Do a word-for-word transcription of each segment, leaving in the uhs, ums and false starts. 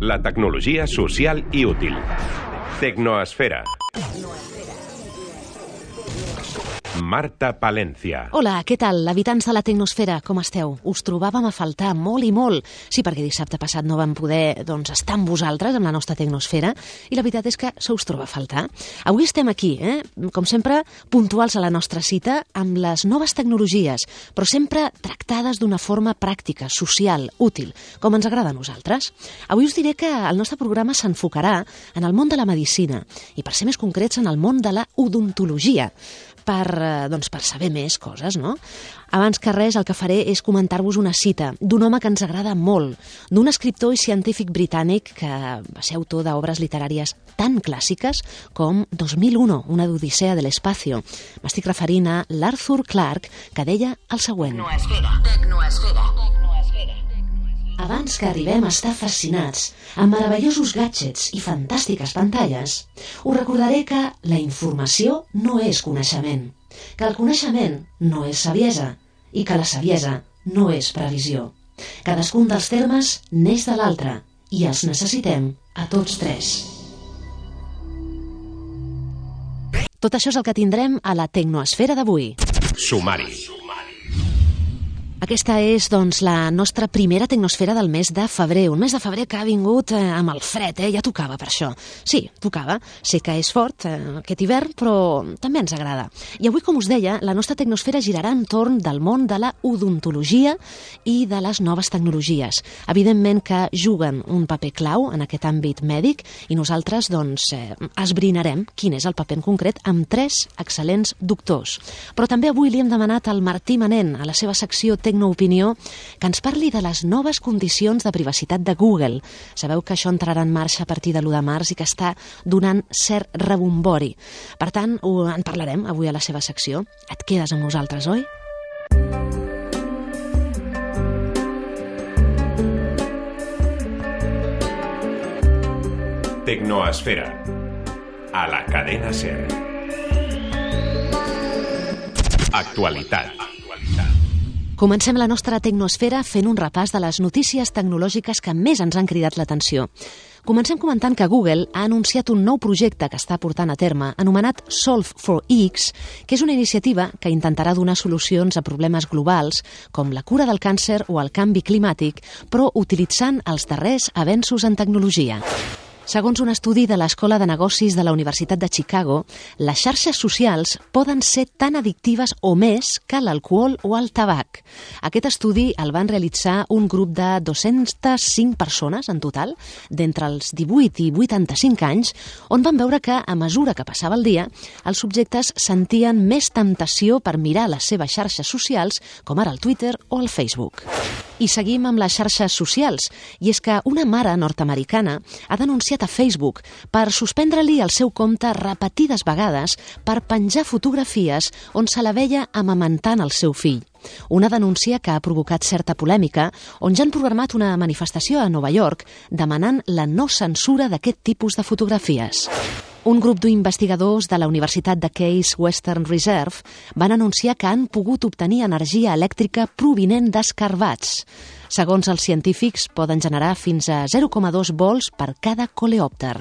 La tecnologia social i útil. Tecnoesfera. Marta Palencia. Hola, què tal, habitants de la Tecnosfera? Com esteu? Us trobàvem a faltar molt i molt. Sí, perquè dissabte passat no vam poder doncs, estar amb vosaltres, amb la nostra Tecnosfera, i la veritat és que se us troba a faltar. Avui estem aquí, eh? com sempre, puntuals a la nostra cita, amb les noves tecnologies, però sempre tractades d'una forma pràctica, social, útil, com ens agrada a nosaltres. Avui us diré que el nostre programa s'enfocarà en el món de la medicina, i per ser més concrets, en el món de la odontologia, per, doncs, per saber més coses, no? Abans que res, el que faré és comentar-vos una cita d'un home que ens agrada molt, d'un escriptor i científic britànic que va ser autor d'obres literàries tan clàssiques com dos mil u, una odissea de l'espacio. M'estic referint a l'Arthur Clarke, que deia el següent. Tecnoesfera, tecnoesfera. Abans que arribem a estar fascinats amb meravellosos gadgets i fantàstiques pantalles, us recordaré que la informació no és coneixement, que el coneixement no és saviesa i que la saviesa no és previsió. Cadascun dels termes n'és de l'altre i els necessitem a tots tres. Tot això és el que tindrem a la Tecnoesfera d'avui. Sumari. Aquesta és, doncs, la nostra primera tecnosfera del mes de febrer. Un mes de febrer que ha vingut eh, amb el fred, eh? Ja tocava per això. Sí, tocava. Sé que és fort eh, aquest hivern, però també ens agrada. I avui, com us deia, la nostra tecnosfera girarà entorn del món de la odontologia i de les noves tecnologies. Evidentment que juguen un paper clau en aquest àmbit mèdic i nosaltres, doncs, eh, esbrinarem quin és el paper en concret amb tres excel·lents doctors. Però també avui li hem demanat al Martí Manent, a la seva secció Tecnoopinió, que ens parli de les noves condicions de privacitat de Google. Sabeu que això entrarà en marxa a partir de l'u de març i que està donant cert rebombori. Per tant, en parlarem avui a la seva secció. Et quedes amb nosaltres, oi? Tecnoesfera. A la cadena SER. Actualitat. Comencem la nostra tecnosfera fent un repàs de les notícies tecnològiques que més ens han cridat l'atenció. Comencem comentant que Google ha anunciat un nou projecte que està portant a terme, anomenat Solve for X, que és una iniciativa que intentarà donar solucions a problemes globals, com la cura del càncer o el canvi climàtic, però utilitzant els darrers avenços en tecnologia. Segons un estudi de l'Escola de Negocis de la Universitat de Chicago, les xarxes socials poden ser tan addictives o més que l'alcohol o el tabac. Aquest estudi el van realitzar un grup de dues-centes cinc persones en total, d'entre els divuit i vuitanta-cinc anys, on van veure que, a mesura que passava el dia, els subjectes sentien més temptació per mirar les seves xarxes socials, com ara el Twitter o el Facebook. I seguim amb les xarxes socials, i és que una mare nord-americana ha denunciat a Facebook per suspendre-li el seu compte repetides vegades per penjar fotografies on se la veia amamentant el seu fill. Una denúncia que ha provocat certa polèmica, on ja han programat una manifestació a Nova York demanant la no censura d'aquest tipus de fotografies. Un grup d'investigadors de la Universitat de Case Western Reserve van anunciar que han pogut obtenir energia elèctrica provinent d'escarbats. Segons els científics, poden generar fins a zero coma dos volts per cada coleòpter.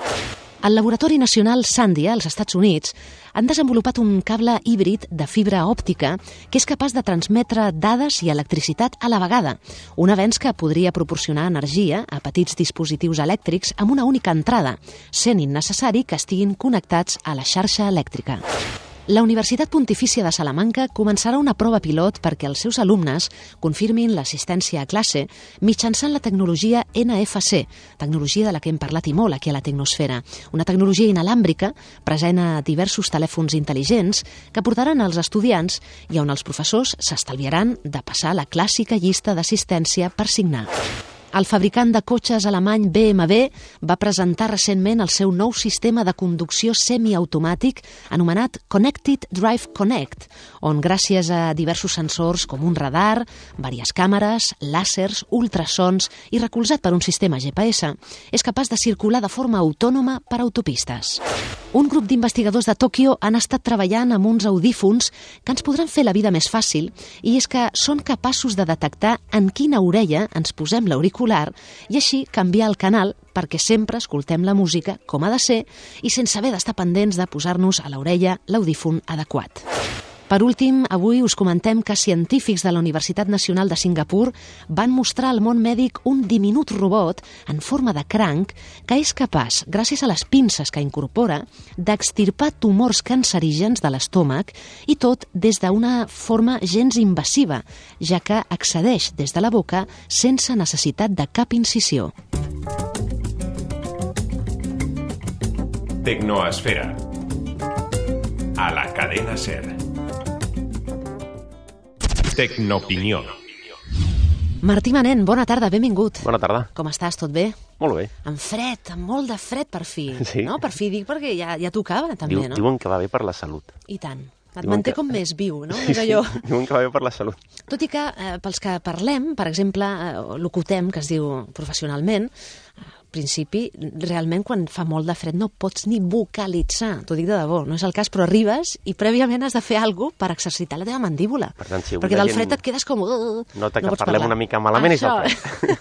Al Laboratori Nacional Sandia, als Estats Units, han desenvolupat un cable híbrid de fibra òptica que és capaç de transmetre dades i electricitat a la vegada, un avenç que podria proporcionar energia a petits dispositius elèctrics amb una única entrada, sent innecessari que estiguin connectats a la xarxa elèctrica. La Universitat Pontifícia de Salamanca començarà una prova pilot perquè els seus alumnes confirmin l'assistència a classe mitjançant la tecnologia N F C, tecnologia de la que hem parlat i molt aquí a la Tecnosfera, una tecnologia inalàmbrica present a diversos telèfons intel·ligents que portaran als estudiants i on els professors s'estalviaran de passar la clàssica llista d'assistència per signar. El fabricant de cotxes alemany B M W va presentar recentment el seu nou sistema de conducció semiautomàtic anomenat Connected Drive Connect, on gràcies a diversos sensors com un radar, diverses càmeres, làsers, ultrasons i recolzat per un sistema G P S, és capaç de circular de forma autònoma per autopistes. Un grup d'investigadors de Tòquio han estat treballant amb uns audífons que ens podran fer la vida més fàcil, i és que són capaços de detectar en quina orella ens posem l'auricular i així canviar el canal perquè sempre escoltem la música com ha de ser i sense haver d'estar pendents de posar-nos a l'orella l'audífon adequat. Per últim, avui us comentem que científics de la Universitat Nacional de Singapur van mostrar al món mèdic un diminut robot en forma de cranc que és capaç, gràcies a les pinces que incorpora, d'extirpar tumors cancerígens de l'estómac, i tot des d'una forma gens invasiva, ja que accedeix des de la boca sense necessitat de cap incisió. Tecnoesfera. A la cadena SER. Tecnoopinió. Martí Manent, bona tarda, benvingut. Bona tarda. Com estàs, tot bé? Molt bé. Amb fred, amb molt de fred per fi. Sí. No? Per fi dic perquè ja, ja tocava també, Diu, no? Diuen que va bé per la salut. I tant. Et Diuen manté que- com més viu, no? Sí, És allò. sí. Diuen que va bé per la salut. Tot i que eh, pels que parlem, per exemple, eh, locutem, que es diu professionalment, al principi, realment, quan fa molt de fred no pots ni vocalitzar, t'ho dic de debò, no és el cas, però arribes i prèviament has de fer alguna cosa per exercitar la teva mandíbula. Per tant, si avui perquè la del gent fred et quedes com... Uh, nota que no pots parlem parlar. una mica malament és el Això.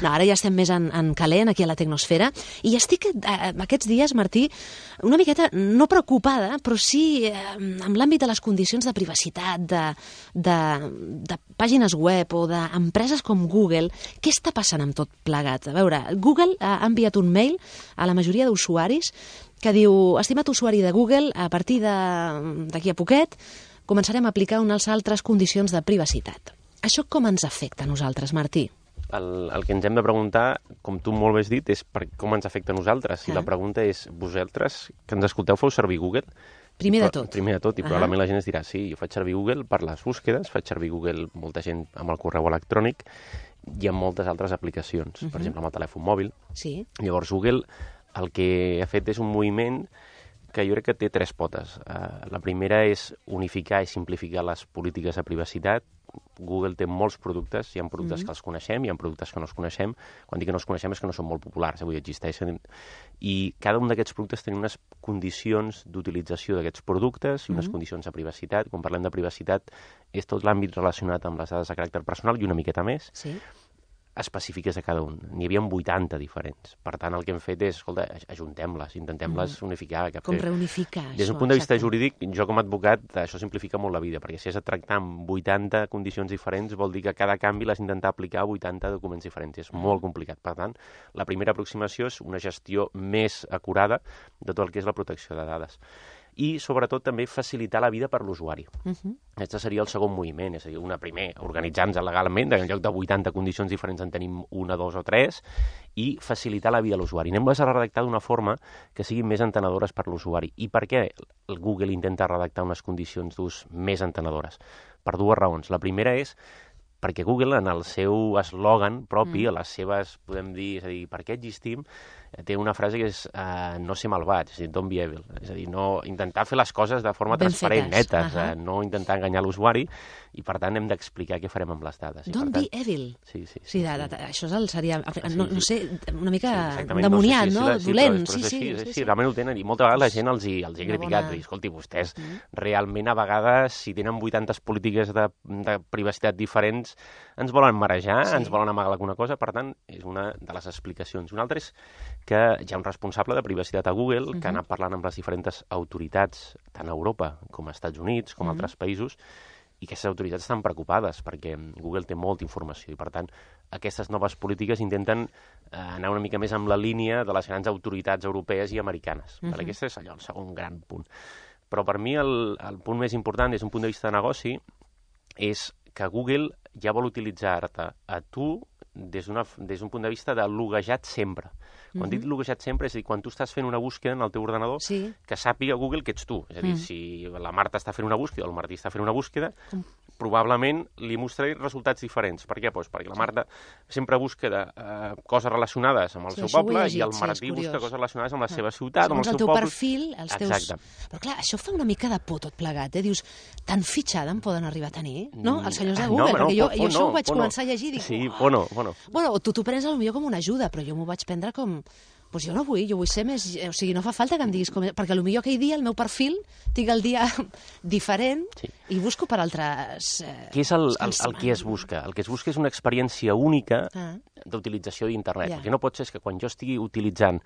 No, ara ja estem més en, en calent aquí a la Tecnosfera i estic eh, aquests dies, Martí, una miqueta, no preocupada, però sí eh, amb l'àmbit de les condicions de privacitat, de, de, de pàgines web o d'empreses com Google. Què està passant amb tot plegat? A veure, Google ha enviat un mail a la majoria d'usuaris que diu: estimat usuari de Google, a partir d'aquí a poquet començarem a aplicar unes altres condicions de privacitat. Això com ens afecta a nosaltres, Martí? El, el que ens hem de preguntar, com tu molt bé has dit, és per com ens afecta a nosaltres. I Ah. la pregunta és, vosaltres, que ens escolteu, feu servir Google? Primer de Però- tot. Primer de tot, i Ah. probablement la gent es dirà, sí, jo faig servir Google per les búsquedes, faig servir Google molta gent amb el correu electrònic i amb moltes altres aplicacions, per exemple, amb el telèfon mòbil. Sí. Llavors, Google el que ha fet és un moviment que jo crec que té tres potes. Uh, la primera és unificar i simplificar les polítiques de privacitat. Google té molts productes, hi ha productes mm. que els coneixem, hi ha productes que no els coneixem. Quan dic que no els coneixem és que no són molt populars, avui existeixen. I cada un d'aquests productes té unes condicions d'utilització d'aquests productes i unes mm. condicions de privacitat. Quan parlem de privacitat és tot l'àmbit relacionat amb les dades de caràcter personal i una miqueta més. Sí. Específiques de cada un. N'hi havia vuitanta diferents. Per tant, el que hem fet és, escolta, ajuntem-les, intentem-les mm. unificar. Que Com fer- reunificar Des d'un això, punt de vista exacte. jurídic, jo com a advocat, això simplifica molt la vida, perquè si has de tractar amb vuitanta condicions diferents, vol dir que cada canvi l'has d'intentar aplicar a vuitanta documents diferents. És molt complicat. Per tant, la primera aproximació és una gestió més acurada de tot el que és la protecció de dades. I, sobretot, també facilitar la vida per l'usuari. Uh -huh. Aquest seria el segon moviment, és a dir, una primer, organitzar-nos legalment, en lloc de vuitanta condicions diferents en tenim una, dos o tres, i facilitar la vida a l'usuari. Anem-les a redactar d'una forma que siguin més entenedores per l'usuari. I per què el Google intenta redactar unes condicions d'ús més entenedores? Per dues raons. La primera és perquè Google, en el seu eslògan propi, mm. a les seves, podem dir, és a dir, per què existim, té una frase que és uh, no ser malvats, és a dir, don't be evil. És a dir, no, intentar fer les coses de forma Ben transparent, fetes. netes, Uh-huh. uh, no intentar enganyar l'usuari, i per tant hem d'explicar què farem amb les dades. I, Don't per be tant, evil. Sí, sí. Sí, de, de, de, això és el, seria, no, no sí. sé, una mica exactament, demoniat, sé si no? és la- Dolent. però, però Sí, és sí, així, és sí, així, sí. realment ho tenen, i molta vegada la gent els hi, els hi ha Una criticat, bona- de dir, escolti, vostès Mm. realment a vegades, si tenen vuitanta polítiques de, de privacitat diferents, ens volen marejar, Sí. ens volen amagar alguna cosa, per tant, és una de les explicacions. Una altra és que hi ha un responsable de privacitat a Google que Mhm. ha anat parlant amb les diferents autoritats, tant a Europa com a Estats Units, com a Mhm. altres països, i aquestes autoritats estan preocupades perquè Google té molta informació i, per tant, aquestes noves polítiques intenten eh, anar una mica més amb la línia de les grans autoritats europees i americanes. Mhm. Uh-huh. Aquest és allò, el segon gran punt. Però per mi el, el punt més important des d'un punt de vista de negoci és que Google ja vol utilitzar-te a tu des d'un punt de vista de loguejat sempre. Quan Mhm. dic loguejat sempre, és a dir, quan tu estàs fent una búsqueda en el teu ordenador, Sí. que sàpiga Google que ets tu. És a dir, Mm. si la Marta està fent una búsqueda o el Martí està fent una búsqueda, Com? probablement li mostraré resultats diferents. Per què? Pues perquè la Marta sempre busca de, uh, coses relacionades amb el Sí, seu això ho he poble llegit, i el sí, Martí és busca curiós. coses relacionades amb la seva ciutat, amb el Segons seu el teu poble. perfil, els teus... Exacte. Però clar, això fa una mica de por tot plegat, eh? Dius, tan fitxada em poden arribar a tenir, no? Els senyors de Mm, Google, no, no, perquè jo, por, jo por això no, ho vaig por no. començar a llegir i dic... Sí, "Uah". por no, por no. Bueno, tu t'ho prens potser com una ajuda, però jo m'ho vaig prendre com... Doncs jo no vull, jo vull ser més... O sigui, no fa falta que em diguis com... Perquè potser aquell dia, el meu perfil, tinc el dia diferent sí. i busco per altres... Eh, Què és el, el, el que es busca? El que es busca és una experiència única ah. d'utilització d'internet. Yeah. Perquè no pot ser que quan jo estigui utilitzant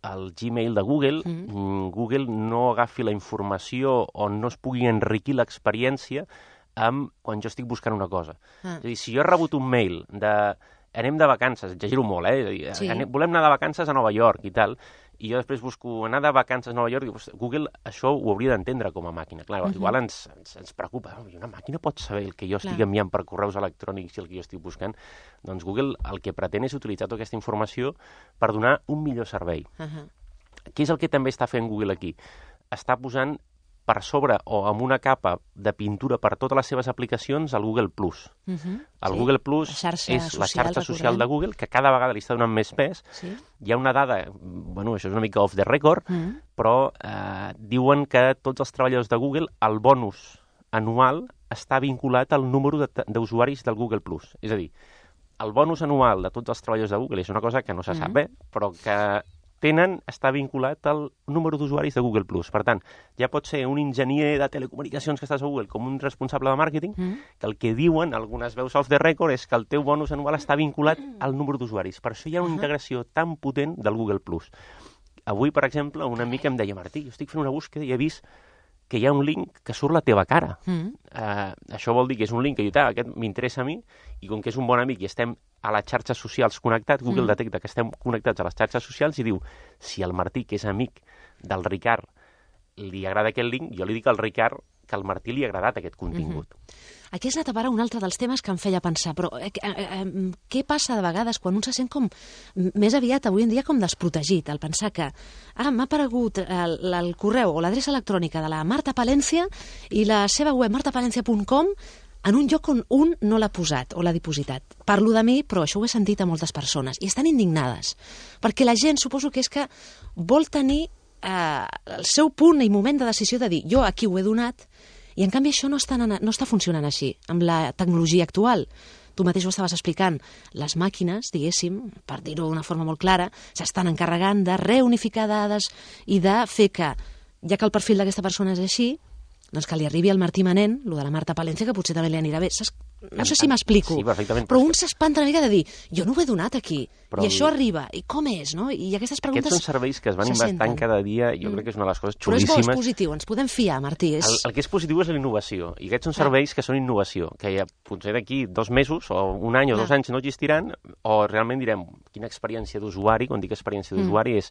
el Gmail de Google, mm. Google no agafi la informació o no es pugui enriquir l'experiència amb quan jo estic buscant una cosa. Ah. És a dir, si jo he rebut un mail de... anem de vacances, exagero molt, eh? Dir, sí. anem, volem anar de vacances a Nova York i tal, i jo després busco anar de vacances a Nova York, i Google això ho hauria d'entendre com a màquina. Clar, uh -huh. igual ens, ens, ens preocupa, oh, una màquina pot saber el que jo estic Clar. enviant per correus electrònics i el que jo estic buscant. Doncs Google el que pretén és utilitzar tota aquesta informació per donar un millor servei. Uh -huh. Què és el que també està fent Google aquí? Està posant per sobre o amb una capa de pintura per totes les seves aplicacions al Google Plus. Uh -huh, el sí. Google Plus la és social, la xarxa social de Google, que cada vegada li està donant més pes. Sí. Hi ha una dada, bueno, això és una mica off the record, uh -huh. però eh, diuen que tots els treballadors de Google, el bonus anual està vinculat al número d'usuaris del Google Plus. És a dir, el bonus anual de tots els treballadors de Google és una cosa que no se uh -huh. sap bé, però que tenen, està vinculat al número d'usuaris de Google Plus. Per tant, ja pot ser un enginyer de telecomunicacions que estàs a Google com un responsable de màrqueting, mm. que el que diuen algunes veus off the record és que el teu bonus anual està vinculat al número d'usuaris. Per això hi ha una uh -huh. integració tan potent del Google Plus. Avui, per exemple, un amic em deia, Martí, jo estic fent una búsqueda i he vist que hi ha un link que surt la teva cara. Mm. Uh, això vol dir que és un link que jo, ah, aquest m'interessa a mi, i com que és un bon amic i estem a les xarxes socials connectats, Google mm. detecta que estem connectats a les xarxes socials i diu, si el Martí, que és amic del Ricard, li agrada aquest link, jo li dic al Ricard que al Martí li ha agradat aquest contingut. Mm-hmm. Aquí has anat a parar un altre dels temes que em feia pensar, però eh, eh, eh, què passa de vegades quan un se sent com més aviat avui en dia com desprotegit, al pensar que ah, m'ha aparegut el, el correu o l'adreça electrònica de la Marta Palència i la seva web marta palencia punt com en un lloc on un no l'ha posat o l'ha dipositat. Parlo de mi, però això ho he sentit a moltes persones i estan indignades, perquè la gent suposo que és que vol tenir eh, el seu punt i moment de decisió de dir jo aquí ho he donat. I, en canvi, això no està, no està funcionant així, amb la tecnologia actual. Tu mateix ho estaves explicant. Les màquines, diguéssim, per dir-ho d'una forma molt clara, s'estan encarregant de reunificar dades i de fer que, ja que el perfil d'aquesta persona és així, doncs que li arribi al Martí Manent, lo de la Marta Palència, que potser també li anirà bé. Saps? No sé si m'explico, sí, però un s'espanta una mica de dir jo no ho he donat aquí, però i això arriba, i com és, no? I aquestes preguntes... Aquests són serveis que es van inventant cada dia, jo crec que és una de les coses xulíssimes. Però és bo, és positiu, ens podem fiar, Martí. És... El, el que és positiu és la innovació, i aquests són serveis ah. que són innovació, que ja potser d'aquí dos mesos, o un any o ah. dos anys no existiran, o realment direm quina experiència d'usuari, quan dic experiència d'usuari mm. és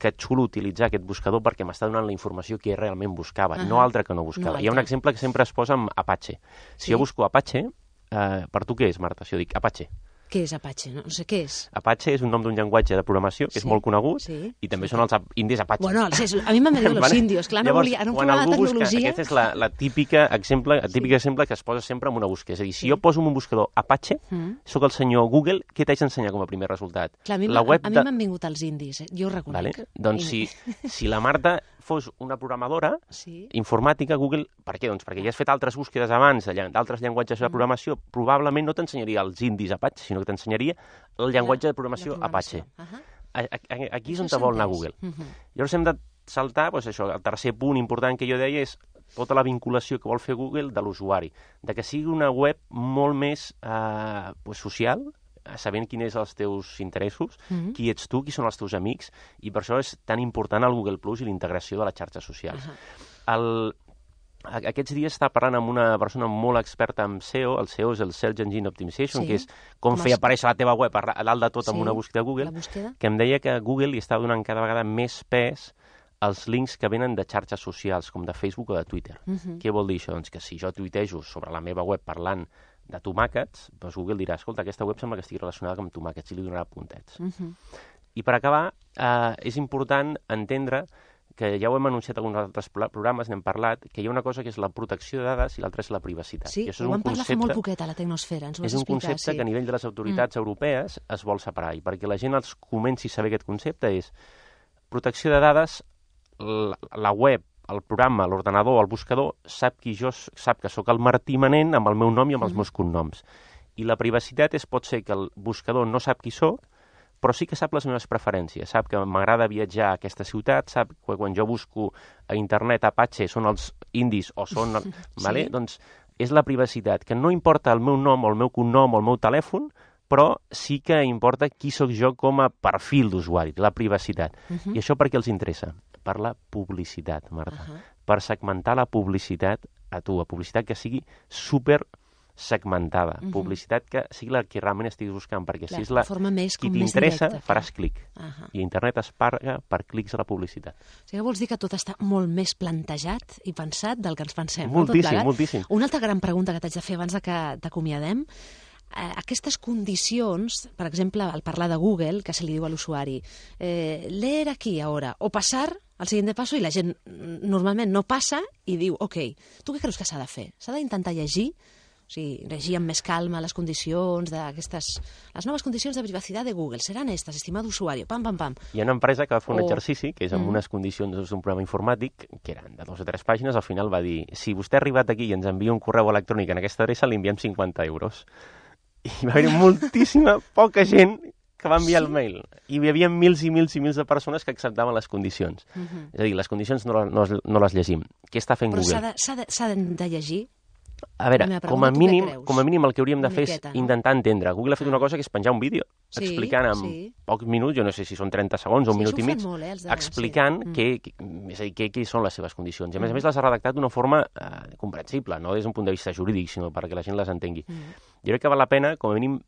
que xulo utilitzar aquest buscador perquè m'està donant la informació que realment buscava, uh-huh. no altra que no buscava. No Hi ha un exemple que sempre es posa amb Apache. Si sí. jo busco Apache, eh, per tu què és, Marta? Si jo dic Apache. Què és Apache? No, no sé què és. Apache és un nom d'un llenguatge de programació que sí. és molt conegut sí. i també sí. són els indis Apache. Bueno, sí, a mi m'han dit els índios, clar, no volia, no provava la tecnologia. Busca, aquest és la, la típica exemple, el típic sí. exemple que es posa sempre en una búsqueda. És a dir, si sí. jo poso en un buscador Apache, mm. sóc el senyor Google, què t'haig d'ensenyar com a primer resultat? Clar, a mi m'han de... vingut els indis, eh? Jo ho reconec. Vale? Doncs si, si la Marta fos una programadora sí. informàtica, Google, per què? Doncs perquè ja has fet altres búsquedes abans d'altres llenguatges de programació, mm. probablement no t'ensenyaria els indis Apache, sinó que t'ensenyaria el llenguatge de programació, de programació. Apache. Uh-huh. Aquí és on te vol anar Google. Uh-huh. Llavors hem de saltar, doncs això, el tercer punt important que jo deia és tota la vinculació que vol fer Google de l'usuari, de que sigui una web molt més eh, pues, social, sabent quins són els teus interessos, mm-hmm. qui ets tu, qui són els teus amics, i per això és tan important el Google Plus i la integració de les xarxes socials. Uh-huh. El, aquests dies està parlant amb una persona molt experta en S E O, el S E O és el Search Engine Optimization, sí. que és com, com fer aparèixer la teva web a dalt de tot sí. amb una búsqueda de Google, búsqueda. Que em deia que Google li està donant cada vegada més pes als links que venen de xarxes socials, com de Facebook o de Twitter. Uh-huh. Què vol dir això? Doncs que si jo tuitejo sobre la meva web parlant de tomàquets, doncs Google dirà, escolta, aquesta web sembla que estigui relacionada amb tomàquets i li donarà puntets. Uh-huh. I per acabar, eh, és important entendre que ja ho hem anunciat en alguns altres programes, n'hem parlat, que hi ha una cosa que és la protecció de dades i l'altra és la privacitat. Sí, I això és ho un vam parlar concepte, fa molt poquet a la Tecnosfera, ens ho És vas un explicar, concepte sí. que a nivell de les autoritats mm. europees es vol separar, i perquè la gent els comenci a saber aquest concepte és protecció de dades, la, la web, el programa, l'ordenador, el buscador, sap qui jo sap que sóc el Martí Manent amb el meu nom i amb els mm. meus cognoms. I la privacitat és, pot ser que el buscador no sap qui sóc, però sí que sap les meves preferències, sap que m'agrada viatjar a aquesta ciutat, sap que quan jo busco a internet Apache són els indis o són... sí. Vale? Doncs és la privacitat, que no importa el meu nom o el meu cognom o el meu telèfon, però sí que importa qui sóc jo com a perfil d'usuari, la privacitat. Uh-huh. I això per què els interessa? Per la publicitat, Marta. Uh-huh. Per segmentar la publicitat a tu, a publicitat que sigui super segmentada, uh-huh. publicitat que sigui la que realment estiguis buscant, perquè clar, si és la més, qui t'interessa, faràs clic. Uh-huh. I internet es paga per clics a la publicitat. O sigui, vols dir que tot està molt més plantejat i pensat del que ens pensem. Moltíssim, no? moltíssim. Una altra gran pregunta que t'haig de fer abans de que t'acomiadem. Aquestes condicions, per exemple, al parlar de Google, que se li diu a l'usuari, eh, leer aquí ara, o passar al següent passo, i la gent normalment no passa i diu, ok, tu què creus que s'ha de fer? S'ha d'intentar llegir? O sigui, llegir amb més calma les condicions d'aquestes... Les noves condicions de privacitat de Google seran aquestes, estimado usuari, pam, pam, pam. Hi ha una empresa que va fer un o... exercici, que és amb mm. unes condicions d'un programa informàtic, que eren de dos o tres pàgines, al final va dir, si vostè ha arribat aquí i ens envia un correu electrònic en aquesta adreça, li enviem cinquanta euros. I va haver moltíssima, poca gent que va enviar sí? el mail. I hi havia mils i mils i mils de persones que acceptaven les condicions. Uh-huh. És a dir, les condicions no, no, no les llegim. Què està fent Però Google? Però s'ha de, s'ha de, de llegir? A veure, com a, mínim, com a mínim el que hauríem de una fer miqueta, és intentar entendre. Google ha fet una cosa que és penjar un vídeo sí, explicant en sí. pocs minuts, jo no sé si són trenta segons o un sí, minut i mig, molt, eh, de... explicant sí. què, és a dir, què, què són les seves condicions. I a més a més les ha redactat d'una forma eh, comprensible, no des d'un punt de vista jurídic, sinó perquè la gent les entengui. Mm. Jo crec que val la pena, com a mínim,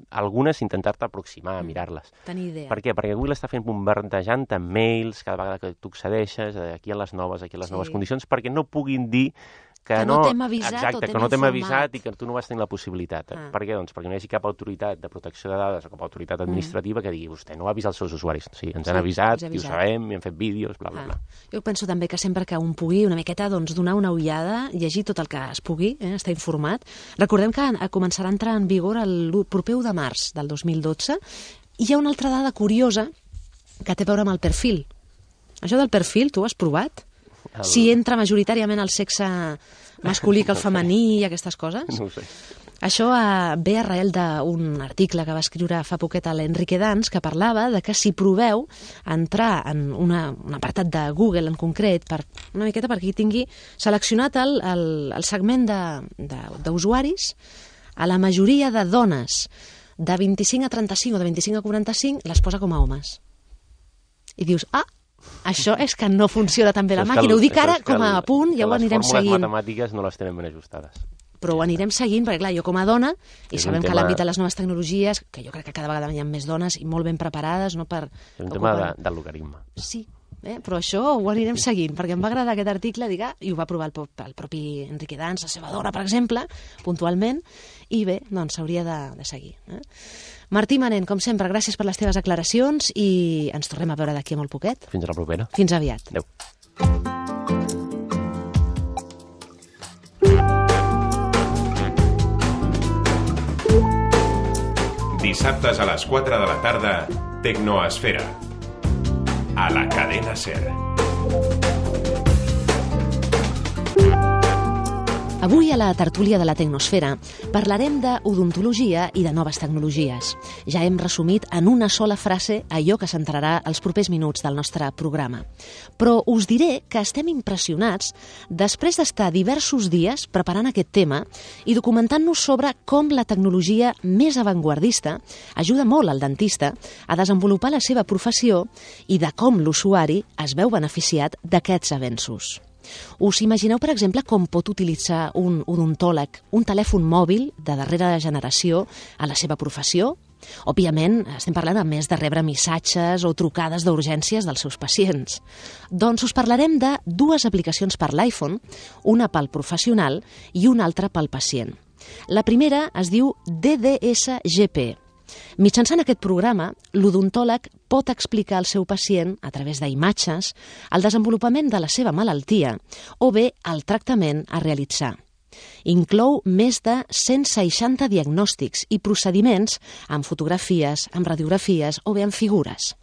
algunes intentar-te aproximar, a mirar-les. Tenir idea. Per què? Perquè Google està fent bombardejant amb mails cada vegada que tu accedeixes, aquí a les noves, aquí a les sí. noves condicions, perquè no puguin dir que, que no, no t'hem avisat exacte, o t'hem que no t'hem informat. avisat i que tu no vas tenir la possibilitat. Ah. Per què? Doncs perquè no hi hagi cap autoritat de protecció de dades o cap autoritat administrativa mm. que digui vostè no va avisar els seus usuaris. Sí, ens sí, han avisat, i ho sabem, i hem fet vídeos, bla, bla, ah. bla. Jo penso també que sempre que un pugui una miqueta doncs, donar una ullada, llegir tot el que es pugui, eh, estar informat. Recordem que començarà a entrar en vigor el proper u de març del dos mil dotze i hi ha una altra dada curiosa que té a veure amb el perfil. Això del perfil, tu ho has provat? El... Si entra majoritàriament el sexe masculí que el femení i aquestes coses? No ho sé. Això eh, ve arrel d'un article que va escriure fa poquet a l'Enrique Dans que parlava de que si proveu entrar en una, un apartat de Google en concret, per una miqueta perquè tingui seleccionat el, el, el segment d'usuaris, a la majoria de dones de vint-i-cinc a trenta-cinc o de vint-i-cinc a quaranta-cinc les posa com a homes. I dius, ah, això és que no funciona tan bé la màquina. Ho dic ara com a punt, ja ho anirem seguint. Les fórmules matemàtiques no les tenen ben ajustades. Però ho anirem seguint, perquè clar, jo com a dona, i és sabem tema... que l'àmbit de les noves tecnologies, que jo crec que cada vegada hi ha més dones i molt ben preparades, no per... És un tema de, del logaritme. Sí, eh? Però això ho anirem seguint, perquè em va agradar aquest article, diga, i ho va provar el, el propi Enrique Dans, la seva dona, per exemple, puntualment, i bé, doncs s'hauria de, de seguir. Eh? Martí Manent, com sempre, gràcies per les teves aclaracions i ens tornem a veure d'aquí a molt poquet. Fins a la propera. Fins aviat. Adéu. Dissabtes a les quatre de la tarda, Tecnoesfera. A la cadena SER. Avui a la tertúlia de la Tecnosfera parlarem d'odontologia i de noves tecnologies. Ja hem resumit en una sola frase allò que centrarà els propers minuts del nostre programa. Però us diré que estem impressionats després d'estar diversos dies preparant aquest tema i documentant-nos sobre com la tecnologia més avantguardista ajuda molt al dentista a desenvolupar la seva professió i de com l'usuari es veu beneficiat d'aquests avenços. Us imagineu, per exemple, com pot utilitzar un odontòleg un telèfon mòbil de darrera generació a la seva professió? Òbviament, estem parlant a més de rebre missatges o trucades d'urgències dels seus pacients. Doncs us parlarem de dues aplicacions per l'iPhone, una pel professional i una altra pel pacient. La primera es diu D D S G P. Mitjançant aquest programa, l'odontòleg pot explicar al seu pacient, a través d'imatges, el desenvolupament de la seva malaltia o bé el tractament a realitzar. Inclou més de cent seixanta diagnòstics i procediments amb fotografies, amb radiografies o bé amb figures.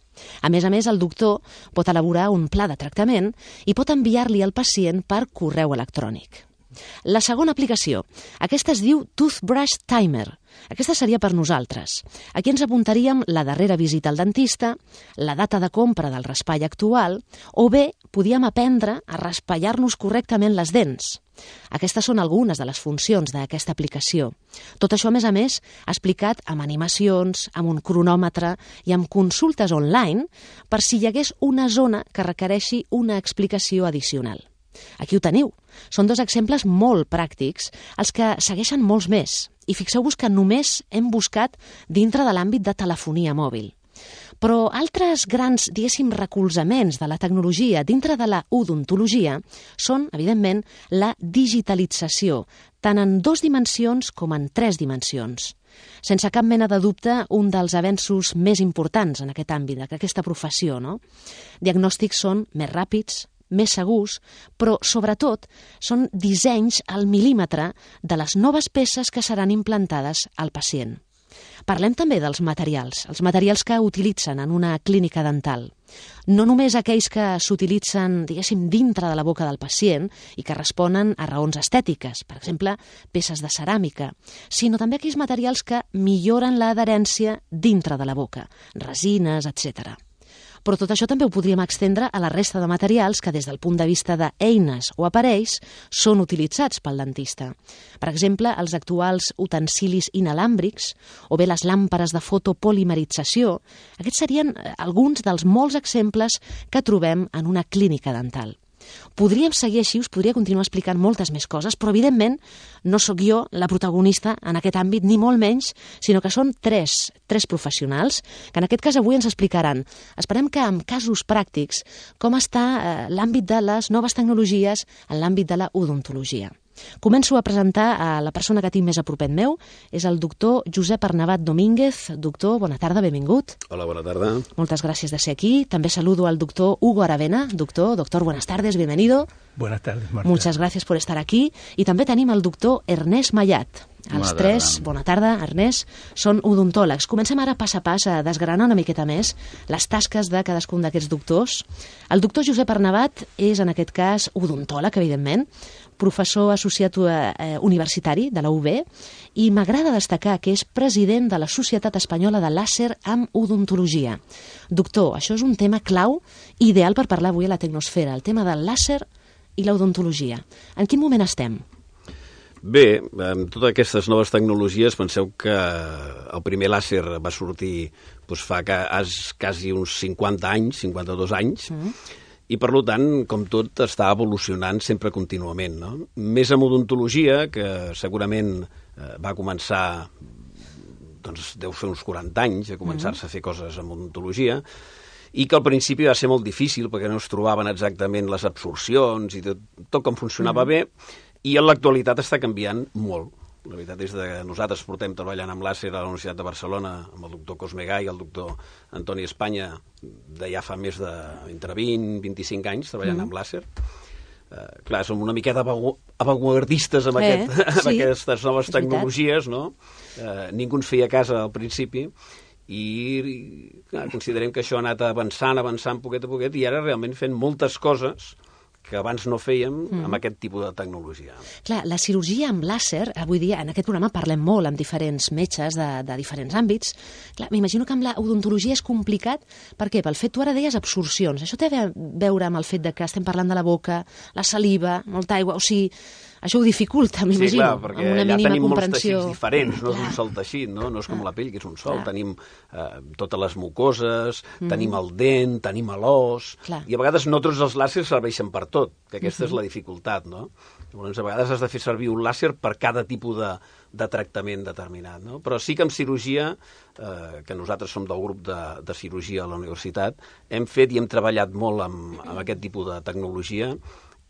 A més a més, el doctor pot elaborar un pla de tractament i pot enviar-li al pacient per correu electrònic. La segona aplicació, aquesta es diu Toothbrush Timer. Aquesta seria per nosaltres. Aquí ens apuntaríem la darrera visita al dentista, la data de compra del raspall actual, o bé podíem aprendre a raspallar-nos correctament les dents. Aquestes són algunes de les funcions d'aquesta aplicació. Tot això, a més a més, explicat amb animacions, amb un cronòmetre i amb consultes online per si hi hagués una zona que requereixi una explicació addicional. Aquí ho teniu. Són dos exemples molt pràctics, els que segueixen molts més. I fixeu-vos que només hem buscat dintre de l'àmbit de telefonia mòbil. Però altres grans, diguéssim, recolzaments de la tecnologia dintre de la odontologia són, evidentment, la digitalització, tant en dues dimensions com en tres dimensions. Sense cap mena de dubte, un dels avenços més importants en aquest àmbit, d'aquesta professió, no? Diagnòstics són més ràpids, més segurs, però, sobretot, són dissenys al mil·límetre de les noves peces que seran implantades al pacient. Parlem també dels materials, els materials que utilitzen en una clínica dental. No només aquells que s'utilitzen, diguéssim, dintre de la boca del pacient i que responen a raons estètiques, per exemple, peces de ceràmica, sinó també aquells materials que milloren l'adherència dintre de la boca, resines, etcètera. Però tot això també ho podríem extendre a la resta de materials que des del punt de vista d'eines o aparells són utilitzats pel dentista. Per exemple, els actuals utensilis inalàmbrics o bé les làmperes de fotopolimerització, aquests serien alguns dels molts exemples que trobem en una clínica dental. Podríem seguir així, us podria continuar explicant moltes més coses, però evidentment no sóc jo la protagonista en aquest àmbit, ni molt menys, sinó que són tres, tres professionals que en aquest cas avui ens explicaran. Esperem que amb casos pràctics com està eh, l'àmbit de les noves tecnologies en l'àmbit de la odontologia. Començo a presentar a la persona que tinc més a propet meu, és el doctor Josep Arnabat Domínguez. Doctor, bona tarda, benvingut. Hola, bona tarda. Moltes gràcies de ser aquí. També saludo al doctor Hugo Aravena. Doctor, doctor, buenas tardes, bienvenido. Buenas tardes, Marta. Muchas gracias por estar aquí. I també tenim el doctor Ernest Mallat. Els Bona tres, tarda. bona tarda, Ernest, són odontòlegs. Comencem ara pas a pas a desgranar una miqueta més les tasques de cadascun d'aquests doctors. El doctor Josep Arnabat és, en aquest cas, odontòleg, evidentment, professor associat eh, universitari de la U B, i m'agrada destacar que és president de la Societat Espanyola de Làser amb Odontologia. Doctor, això és un tema clau, ideal per parlar avui a la Tecnosfera, el tema del làser i l'odontologia. En quin moment estem? Bé, amb totes aquestes noves tecnologies, penseu que el primer làser va sortir doncs, fa quasi uns cinquanta anys, cinquanta-dos anys, mm. i per tant, com tot, està evolucionant sempre contínuament. No? Més amb odontologia, que segurament eh, va començar, doncs deu fer uns quaranta anys, a començar-se mm. a fer coses amb odontologia, i que al principi va ser molt difícil perquè no es trobaven exactament les absorcions i tot, tot com funcionava mm. bé, i en l'actualitat està canviant molt. La veritat és que nosaltres portem treballant amb làser a la Universitat de Barcelona amb el doctor Cosme Gai i el doctor Antoni Espanya de ja fa més de entre vint i vint-i-cinc anys treballant mm. amb làser. Uh, clar, som una miqueta avantguardistes amb, eh, aquest, amb sí, aquestes noves tecnologies, no? Uh, ningú ens feia cas al principi i clar, considerem que això ha anat avançant, avançant poquet a poquet i ara realment fent moltes coses que abans no fèiem mm. amb aquest tipus de tecnologia. Clar, la cirurgia amb làser, avui dia, en aquest programa parlem molt amb diferents metges de, de diferents àmbits. Clar, m'imagino que amb la odontologia és complicat. Per què? Pel fet, tu ara deies absorcions. Això té a veure amb el fet de que estem parlant de la boca, la saliva, molta aigua, o sigui, això ho dificulta, m'imagino, sí, clar, perquè amb una allà mínima tenim comprensió. Molts teixits diferents, no és un sol teixit, no? No és com la pell, que és un sol. Clar. Tenim eh, totes les mucoses, mm. tenim el dent, tenim l'os, i a vegades no tots els làsers serveixen per tot, que aquesta mm-hmm. és la dificultat, no? Llavors, a vegades has de fer servir un làser per cada tipus de, de tractament determinat, no? Però sí que amb cirurgia, eh, que nosaltres som del grup de, de cirurgia a la universitat, hem fet i hem treballat molt amb, amb aquest tipus de tecnologia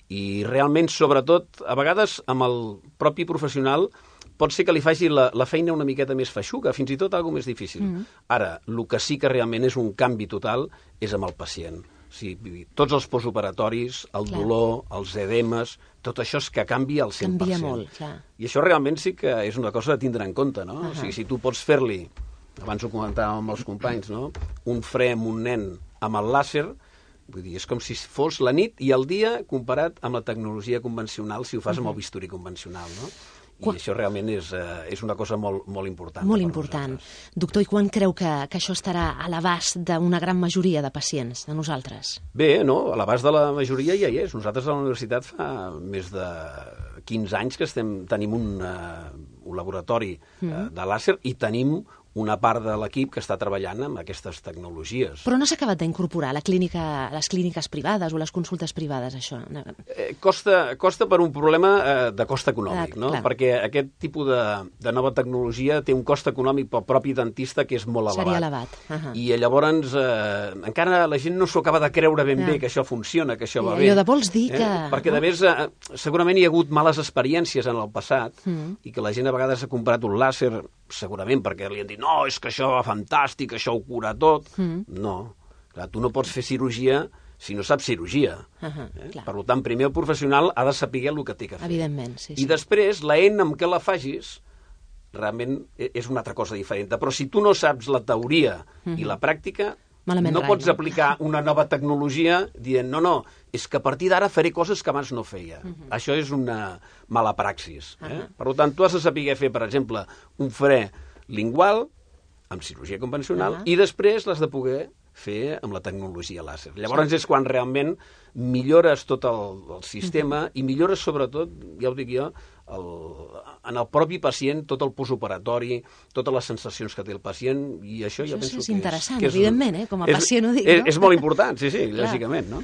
i realment, sobretot, a vegades amb el propi professional pot ser que li faci la, la feina una miqueta més feixuga, fins i tot alguna més difícil. Mm. Ara, el que sí que realment és un canvi total és amb el pacient. O sigui, tots els postoperatoris, el clar. dolor, els edemes, tot això és que canvia al cent per cent. Canvia molt, clar. I això realment sí que és una cosa a tindre en compte, no? Uh-huh. O sigui, si tu pots fer-li, abans ho comentàvem amb els companys, no? Un fre amb un nen amb el làser, Vull dir, és com si fos la nit i el dia comparat amb la tecnologia convencional, si ho fas amb el bisturí convencional, no? I quan... això realment és, uh, és una cosa molt, molt important. Molt important. Nosaltres. Doctor, i quan creu que, que això estarà a l'abast d'una gran majoria de pacients, de nosaltres? Bé, no, a l'abast de la majoria ja hi és. Nosaltres a la universitat fa més de quinze anys que estem, tenim un, uh, un laboratori uh, mm. de làser i tenim una part de l'equip que està treballant amb aquestes tecnologies. Però no s'ha acabat d'incorporar a la clínica, a les clíniques privades o les consultes privades, això? Eh, costa, costa per un problema eh, de cost econòmic, ah, no? Clar. Perquè aquest tipus de, de nova tecnologia té un cost econòmic pel propi dentista que és molt elevat. Seria elevat. Uh -huh. I llavors eh, encara la gent no s'ho acaba de creure ben ja. bé que això funciona, que això I va bé. Allò de vols dir eh? que... Perquè, a més, eh, segurament hi ha hagut males experiències en el passat mm. i que la gent a vegades ha comprat un làser segurament perquè li han dit no, és que això va fantàstic, això ho cura tot. Mm. No, clar, tu no pots fer cirurgia si no saps cirurgia. Uh -huh, eh? Per tant, primer el professional ha de saber el que té que fer. Evidentment, sí, sí. I després, la eina amb què la facis realment és una altra cosa diferent. Però si tu no saps la teoria uh -huh. i la pràctica, malament no rai, pots no? aplicar una nova tecnologia dient no, no, és que a partir d'ara faré coses que abans no feia. Uh -huh. Això és una mala praxis. Eh? Uh -huh. Per tant, tu has de saber fer, per exemple, un fre lingual amb cirurgia convencional uh -huh. i després l'has de poder fer amb la tecnologia làser. Llavors sí. és quan realment millores tot el, el sistema uh -huh. i millores sobretot, ja ho dic jo, el, en el propi pacient, tot el postoperatori, totes les sensacions que té el pacient, i això, això ja penso és que és... interessant, que és, evidentment, eh? Com a és, pacient ho dic, és, no? És molt important, sí, sí, lògicament, no?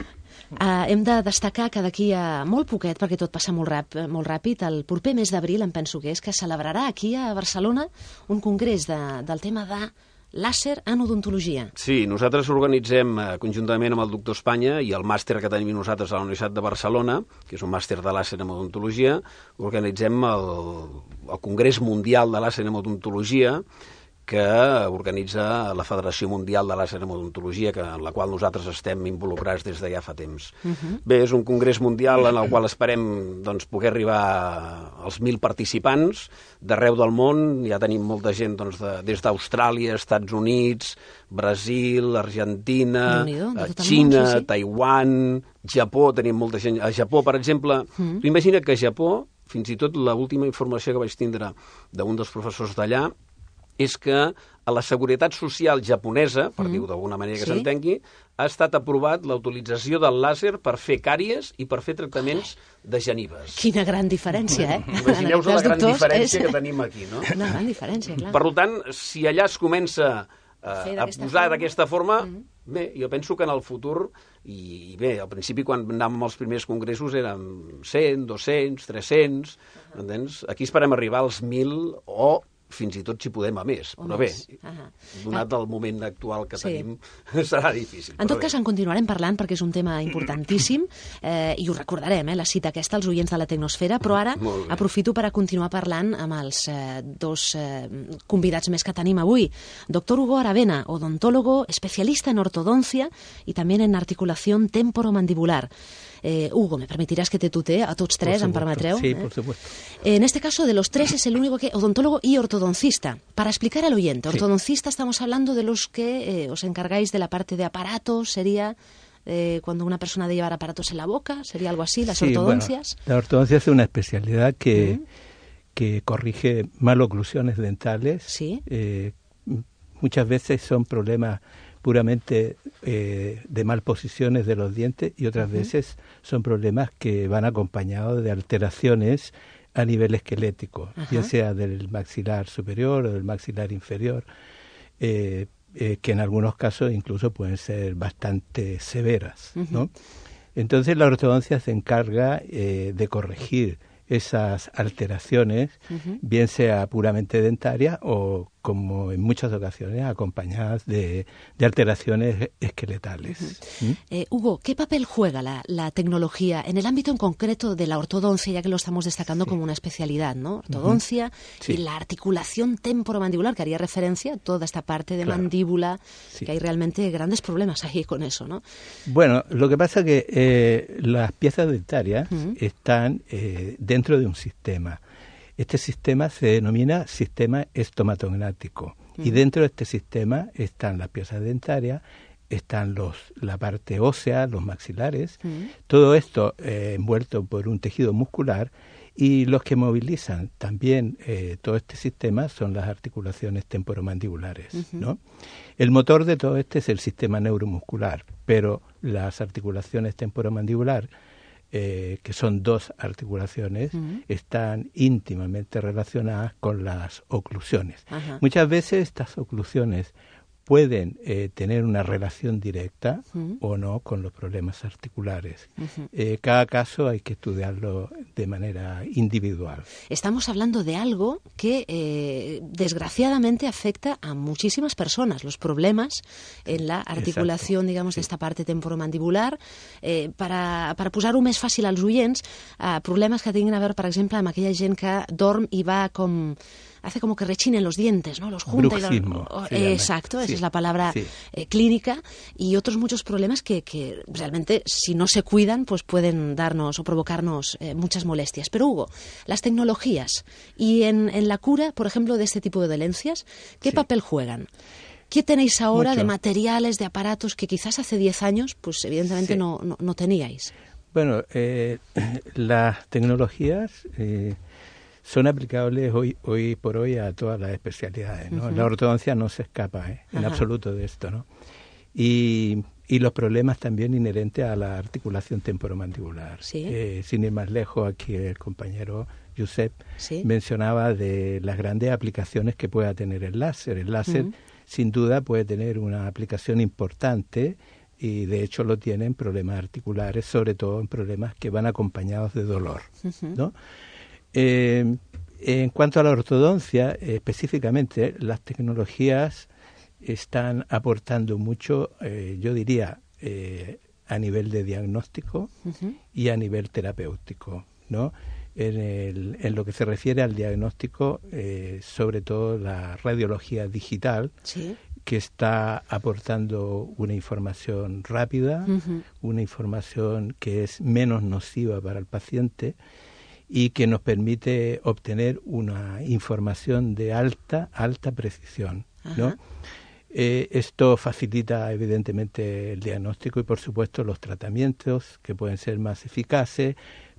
Uh, hem de destacar que d'aquí a molt poquet, perquè tot passa molt, rap, molt ràpid, el proper mes d'abril, em penso que és, que celebrarà aquí a Barcelona un congrés de, del tema de làser en odontologia. Sí, nosaltres organitzem eh, conjuntament amb el Doctor Espanya i el màster que tenim nosaltres a la Universitat de Barcelona, que és un màster de làser en odontologia, organitzem el, el Congrés Mundial de Làser en Odontologia, que organitza la Federació Mundial de Làser en Odontologia, que, en la qual nosaltres estem involucrats des de ja fa temps. Uh -huh. Bé, és un congrés mundial en el qual esperem doncs, poder arribar als mil participants d'arreu del món. Ja tenim molta gent doncs, de, des d'Austràlia, Estats Units, Brasil, Argentina, Xina, món, sí, sí. Taiwan, Japó, tenim molta gent. A Japó, per exemple, uh -huh. tu imagina't que a Japó, fins i tot l'última informació que vaig tindre d'un dels professors d'allà, és que a la Seguretat Social japonesa, per mm. dir-ho d'alguna manera que sí? s'entengui, ha estat aprovat la utilització del làser per fer càries i per fer tractaments de genives. Quina gran diferència, eh? Imagineu-vos la gran doctors, diferència és... que tenim aquí, no? Una gran diferència, clar. Per tant, si allà es comença eh, a posar d'aquesta forma, mm. bé, jo penso que en el futur, i bé, al principi quan anàvem als primers congressos érem cent, dos-cents, tres-cents, uh -huh. entens? Aquí esperem arribar als mil o fins i tot si podem a més, però bé, donat el moment actual que sí. tenim, serà difícil. En tot bé. cas, en continuarem parlant perquè és un tema importantíssim eh, i ho recordarem, eh, la cita aquesta als oients de la Tecnosfera, però ara aprofito per a continuar parlant amb els eh, dos eh, convidats més que tenim avui. Doctor Hugo Aravena, odontólogo, especialista en ortodoncia y también en articulación temporomandibular. Eh, Hugo, me permitirás que te tutee a tots tres, em permetreu? Sí, eh? por supuesto. En este caso, de los tres es el único que odontólogo y ortodoncista. Para explicar al oyente, ortodoncista sí. estamos hablando de los que eh, os encargáis de la parte de aparatos, sería eh, cuando una persona debe llevar aparatos en la boca, sería algo así, las sí, ortodoncias. Bueno, la ortodoncia es una especialidad que, uh-huh. que corrige maloclusiones dentales. Sí. Eh, muchas veces son problemas puramente eh, de malposiciones de los dientes y otras uh-huh. veces son problemas que van acompañados de alteraciones a nivel esquelético, uh-huh. bien sea del maxilar superior o del maxilar inferior, eh, eh, que en algunos casos incluso pueden ser bastante severas, uh-huh. ¿no? Entonces la ortodoncia se encarga eh, de corregir esas alteraciones, uh-huh. bien sea puramente dentaria o, como en muchas ocasiones, acompañadas de, de alteraciones esqueletales. Uh-huh. ¿Mm? eh, Hugo, ¿qué papel juega la, la tecnología en el ámbito en concreto de la ortodoncia, ya que lo estamos destacando sí. como una especialidad, ¿no? Ortodoncia uh-huh. sí. y la articulación temporomandibular, que haría referencia a toda esta parte de claro. mandíbula, sí. que hay realmente grandes problemas ahí con eso, ¿no? Bueno, lo que pasa es que eh, las piezas dentarias uh-huh. están eh, dentro de un sistema. Este sistema se denomina sistema estomatognático uh-huh. y dentro de este sistema están las piezas dentarias, están los, la parte ósea, los maxilares, Mm. todo esto eh, envuelto por un tejido muscular, y los que movilizan también eh, todo este sistema son las articulaciones temporomandibulares, Ujú. ¿no? El motor de todo este es el sistema neuromuscular, pero las articulaciones temporomandibular, eh, que son dos articulaciones, Ujú. están íntimamente relacionadas con las oclusiones. Ajá. Muchas veces estas oclusiones pueden eh, tener una relación directa Ujú. o no con los problemas articulares. Ujú. Eh, cada caso hay que estudiarlo de manera individual. Estamos hablando de algo que eh, desgraciadamente afecta a muchísimas personas, los problemas en la articulación, Exacto, digamos, sí. d'esta parte temporomandibular. Eh, per a, per a posar-ho més fàcil als oients, eh, problemes que tinguin a veure, per exemple, amb aquella gent que dorm i va com... hace como que rechinen los dientes, ¿no? Los junta y los... Bruxismo, oh, se llama. Exacto, esa Sí, es la palabra sí. eh, clínica, y otros muchos problemas que, que realmente, si no se cuidan, pues pueden darnos o provocarnos eh, muchas molestias. Pero Hugo, las tecnologías y en, en la cura, por ejemplo, de este tipo de dolencias, ¿qué Sí. papel juegan? ¿Qué tenéis ahora Mucho. de materiales, de aparatos que quizás hace diez años, pues evidentemente Sí. no, no, no teníais? Bueno, eh, las tecnologías eh, son aplicables hoy hoy por hoy a todas las especialidades, ¿no? Ujú. La ortodoncia no se escapa eh, en Ajá. absoluto de esto, ¿no? Y, y los problemas también inherentes a la articulación temporomandibular. Sí. Eh, sin ir más lejos, aquí el compañero Josep Sí. mencionaba de las grandes aplicaciones que pueda tener el láser. El láser, Ujú. sin duda, puede tener una aplicación importante, y de hecho lo tiene en problemas articulares, sobre todo en problemas que van acompañados de dolor, Ujú. ¿no? Eh, en cuanto a la ortodoncia, eh, específicamente, las tecnologías están aportando mucho, eh, yo diría, eh, a nivel de diagnóstico Ujú. y a nivel terapéutico, ¿no? En, el, en lo que se refiere al diagnóstico, eh, sobre todo la radiología digital, Sí. que está aportando una información rápida, Ujú. una información que es menos nociva para el paciente y que nos permite obtener una información de alta, alta precisión, ¿no? Ajá. Eh, esto facilita evidentemente el diagnóstico y, por supuesto, los tratamientos, que pueden ser más eficaces,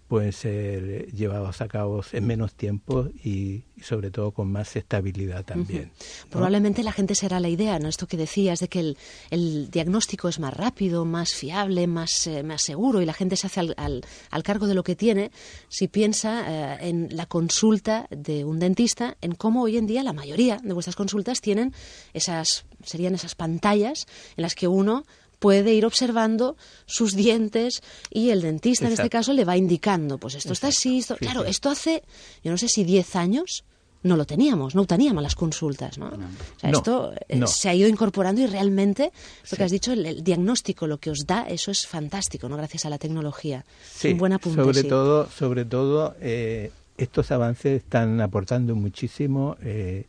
pueden ser llevados a cabo en menos tiempo y, y sobre todo con más estabilidad también, ¿no? Probablemente la gente será la idea, ¿no? Esto que decías de que el, el diagnóstico es más rápido, más fiable, más, eh, más seguro, y la gente se hace al, al, al cargo de lo que tiene, si piensa eh, en la consulta de un dentista, en cómo hoy en día la mayoría de vuestras consultas tienen esas, serían esas pantallas en las que uno puede ir observando sus dientes y el dentista, en este Exacto. caso, le va indicando, pues esto está así, esto... Sí, Claro, sí. esto hace, yo no sé si diez años no lo teníamos, no ho teníamos las consultas, ¿no? O sea, No, esto eh, no. se ha ido incorporando y realmente, lo Sí. que has dicho, el, el diagnóstico, lo que os da, eso es fantástico, ¿no? Gracias a la tecnología. Sí, es un buen apunte, sobre sí. todo, sobre todo eh, estos avances están aportando muchísimo eh,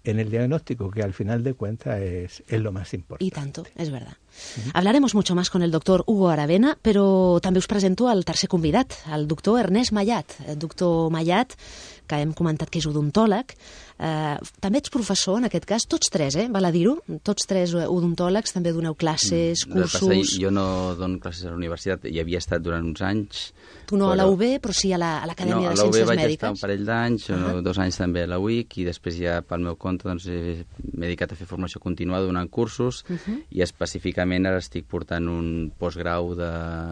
en el diagnóstico, que al final de cuentas es, es lo más importante. Y tanto, es verdad. Hablaremos mucho más con el doctor Hugo Aravena, però també us presento el tercer convidat, el doctor Ernest Mallat. El doctor Mallat, que hem comentat que és odontòleg, eh, també ets professor, en aquest cas, tots tres, eh? Val a dir-ho? Tots tres odontòlegs, també doneu classes, El que passa, cursos... jo no dono classes a la universitat, hi havia estat durant uns anys. Tu no a la però- U B, però sí a la- a l'Acadèmia no, de a la U B Ciències vaig Mèdiques. estar un parell d'anys, Ah. dos anys també a la U I C, i després ja pel meu compte doncs, he- m'he dedicat a fer formació continuada donant cursos, Mhm. i específicament ara estic portant un postgrau, de,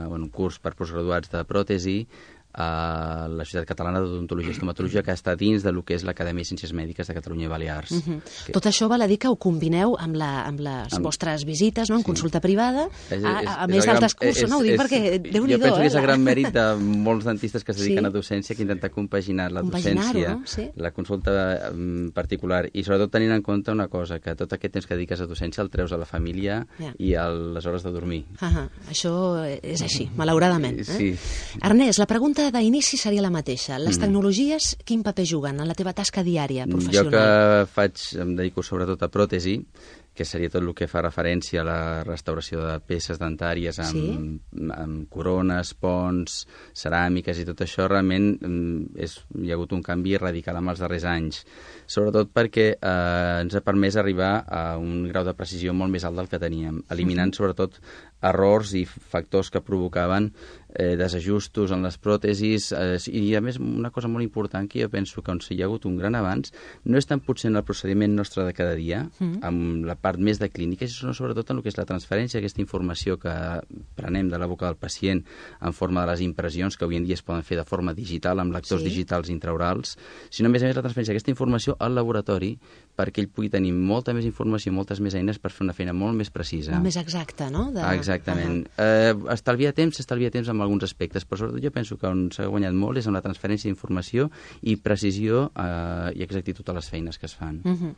bueno, un curs per postgraduats de pròtesi a la Societat Catalana d'Odontologia i Estomatologia, que està dins de lo que és l'Acadèmia de Ciències Mèdiques de Catalunya i Balears. Mhm. que- Tot això val a dir que ho combineu amb, la, amb les Amb- vostres visites, no? En Sí. consulta privada, És- a, és- a, a és més el gran- d'altres cursos, és- no? Ho dic és- perquè, Déu-n'hi-do, Jo penso que és eh? el gran la- mèrit de molts dentistes que es dediquen Sí. a docència, que intenten compaginar la Compaginar-ho, docència, no? Sí. la consulta mm, particular, i sobretot tenint en compte una cosa, que tot aquest temps que dediques a docència el treus a la família Ja. i a les hores de dormir. Ah, això és així, malauradament. Eh? Sí. Ernest, la pregunta d'inici seria la mateixa. Les Mhm. tecnologies, quin paper juguen en la teva tasca diària, Jo professional? que faig, em dedico sobretot a pròtesi, que seria tot el que fa referència a la restauració de peces dentàries amb, sí? amb corones, ponts, ceràmiques i tot això, realment és, hi ha hagut un canvi radical en els darrers anys, sobretot perquè eh, ens ha permès arribar a un grau de precisió molt més alt del que teníem, eliminant sobretot errors i factors que provocaven eh, desajustos en les pròtesis eh, i, a més, una cosa molt important que jo penso que on hi ha hagut un gran avanç no és tant potser en el procediment nostre de cada dia, mm. amb la part més de clínica, sinó sobretot en el que és la transferència d'aquesta informació que prenem de la boca del pacient en forma de les impressions que avui en dia es poden fer de forma digital, amb lectors sí. digitals intraorals, sinó a més a més la transferència d'aquesta informació al laboratori perquè ell pugui tenir molta més informació, moltes més eines per fer una feina molt més precisa. Molt més exacta, no? De... Ah, exactament. Uh -huh. eh, estalvia temps, estalvia temps en alguns aspectes, però sobretot jo penso que on s'ha guanyat molt és en la transferència d'informació i precisió eh, i exactitud a les feines que es fan. Uh -huh.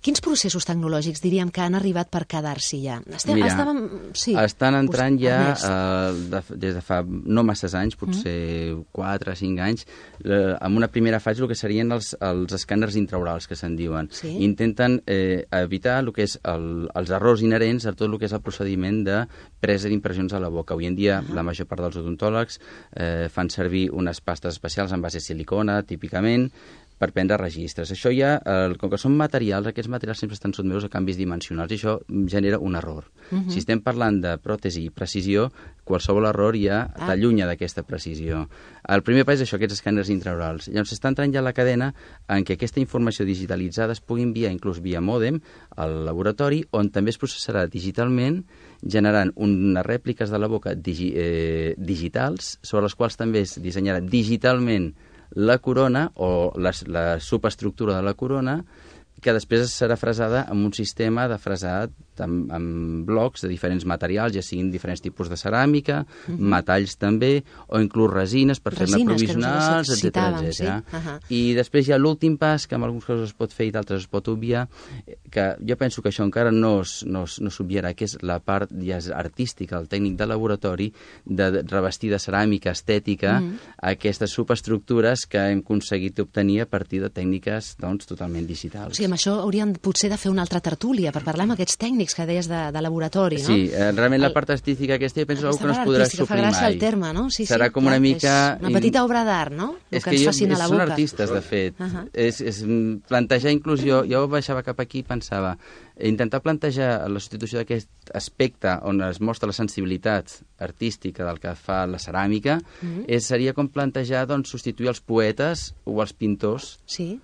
Quins processos tecnològics diríem que han arribat per quedar-s'hi ja? Estem, Mira, estàvem, sí, estan entrant ja eh, de, des de fa no masses anys, potser quatre o cinc anys, eh, amb una primera fase el que serien els, els escàners intraorals que se'n diuen. Sí? Intenten eh, evitar el que és el, els errors inherents a tot el que és el procediment de presa d'impressions a la boca. Avui en dia uh -huh. la major part dels odontòlegs eh, fan servir unes pastes especials en base de silicona, típicament, per prendre registres. Això ja, eh, com que són materials, aquests materials sempre estan sotmesos a canvis dimensionals i això genera un error. Uh -huh. Si estem parlant de pròtesi i precisió, qualsevol error ja ah. t'allunya d'aquesta precisió. El primer pas és això, aquests escàners intraorals. Llavors està entrant ja la cadena en què aquesta informació digitalitzada es pugui enviar inclús via mòdem al laboratori, on també es processarà digitalment, generant unes rèpliques de la boca digi eh, digitals, sobre les quals també es dissenyarà digitalment la corona o la, la subestructura de la corona, que després serà fresada amb un sistema de fresat amb, amb blocs de diferents materials, ja siguin diferents tipus de ceràmica, uh -huh. metalls també, o inclús resines per fer-ne provisionals, etcètera, etcètera. Sí? Uh -huh. I després hi ha l'últim pas, que en alguns casos es pot fer i d'altres es pot obviar, que jo penso que això encara no, es, no, es, no s'obviarà, que és la part ja és artística, el tècnic de laboratori, de revestir de ceràmica estètica uh -huh. aquestes subestructures que hem aconseguit obtenir a partir de tècniques doncs, totalment digitals. O sigui, amb això hauríem potser de fer una altra tertúlia per parlar amb aquests tècnics que deies de, de laboratori, no? Sí, eh, realment la part artística aquesta jo penso que no es podrà suplir mai. Fa gràcia el terme, no? Sí, serà sí, com clar, una mica... Una petita obra d'art, no? El és que, que ens jo, fascina a la boca. Són artistes, de fet. Uh -huh. és, és plantejar inclús... Jo, jo baixava cap aquí i pensava intentar plantejar la substitució d'aquest aspecte on es mostra la sensibilitat artística del que fa la ceràmica uh -huh. és, seria com plantejar doncs, substituir els poetes o els pintors sí.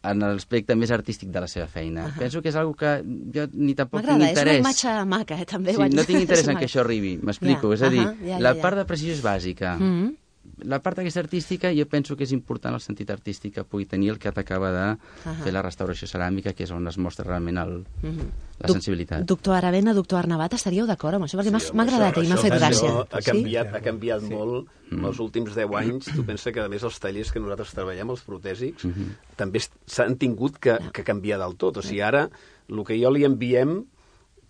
en l'aspecte més artístic de la seva feina. Uh -huh. Penso que és una que jo ni tampoc tinc interès. M'agrada, és una imatge maca, eh, també. Sí, no tinc interès en que això arribi, m'explico. Ja. És a dir, uh -huh. ja, ja, la ja. part de precisió és bàsica. Uh -huh. La part aquesta artística jo penso que és important el sentit artístic que pugui tenir el que t'acaba de uh -huh. fer la restauració ceràmica, que és on es mostra realment el, uh -huh. la sensibilitat. Doctor Aravena, doctor Arnabat, estaríeu d'acord amb això? Perquè sí, m'ha agradat i m'ha fet gràcia. Ha canviat, sí? ha canviat sí. molt mm. els últims deu anys. Tu pensa que, a més, els tallers que nosaltres treballem, els protèsics, mm -hmm. també s'han tingut que, que canviar del tot. O sigui, ara, el que jo li enviem,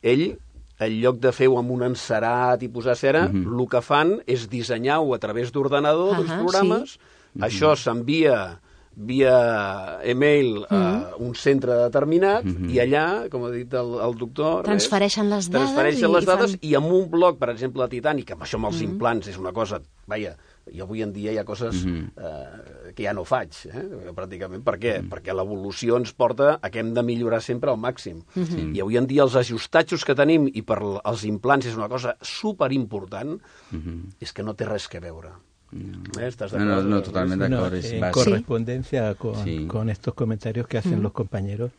ell... en lloc de fer-ho amb un encerat i posar cera, uh-huh. el que fan és dissenyar-ho a través d'ordenador, uh-huh, dels programes, sí. uh-huh. això s'envia via e-mail a uh-huh. un centre determinat uh-huh. i allà, com ha dit el, el doctor... Transfereixen les dades, transfereixen les dades i, fan... i amb un bloc, per exemple, titànic, amb això amb els uh-huh. implants és una cosa... Vaja, jo avui en dia hi ha coses uh-huh. eh, que ja no faig, eh, pràcticament. Per què? Uh-huh. Perquè l'evolució ens porta a que hem de millorar sempre al màxim. Uh-huh. I avui en dia els ajustatges que tenim, i per els implants és una cosa superimportant, uh-huh. és que no té res que veure. No. ¿Eh? ¿Estás de acuerdo? No, no, no totalmente de acuerdo. No, en correspondencia con, sí. con estos comentarios que hacen uh-huh. los compañeros,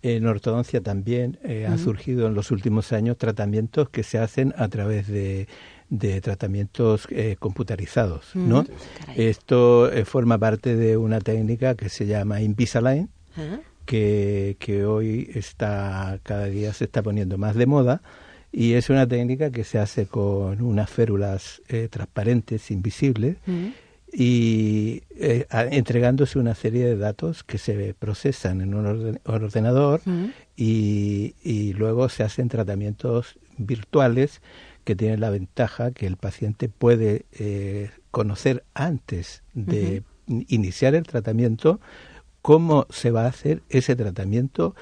en ortodoncia también eh, uh-huh. han surgido en los últimos años tratamientos que se hacen a través de de tratamientos eh, computarizados, ¿no? Mm, Esto eh, forma parte de una técnica que se llama Invisalign, ¿eh? que, que hoy está cada día se está poniendo más de moda, y es una técnica que se hace con unas férulas eh, transparentes, invisibles, mm. y eh, a, entregándose una serie de datos que se procesan en un orden, ordenador mm. y, y luego se hacen tratamientos virtuales que tiene la ventaja que el paciente puede eh, conocer antes de uh-huh. iniciar el tratamiento cómo se va a hacer ese tratamiento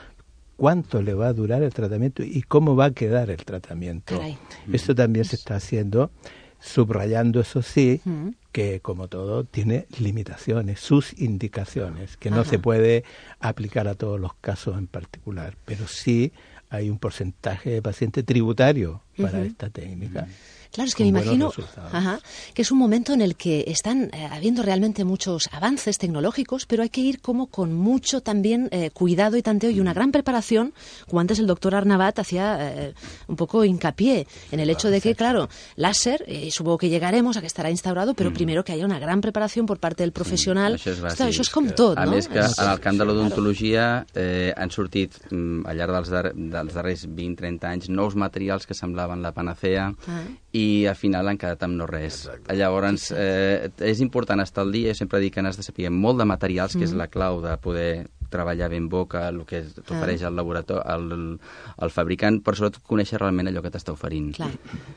cuánto le va a durar el tratamiento y cómo va a quedar el tratamiento. Caray. Esto también se está haciendo, subrayando, eso sí, Mm. que como todo tiene limitaciones, sus indicaciones, que no Ajá. se puede aplicar a todos los casos en particular, pero sí hay un porcentaje de paciente tributario para Ujú. esta técnica. Claro, es que con me buenos imagino resultados. ajá, que es un momento en el que están eh, habiendo realmente muchos avances tecnológicos, pero hay que ir como con mucho también eh, cuidado y tanteo y una gran preparación, como antes el doctor Arnabat hacía eh, un poco hincapié en el hecho de que, claro, láser, eh, supongo que llegaremos a que estarà instaurado, però primero que haya una gran preparación por parte del professional. Això és Ostres, bàsic. això és com tot, A no? més que És- en el camp de sí, l'odontologia eh, han sortit mm, al llarg dels, dar dels darrers vint trenta anys nous materials que semblaven la panacea Ah. i al final han quedat amb no res. Llavors, eh, és important estar al dia, jo sempre dic que n'has de saber molt de materials, que és la clau de poder treballar ben boca, el que t'ofereix el laboratori, el, el fabricant, però sobretot conèixer realment allò que t'està oferint. Clar,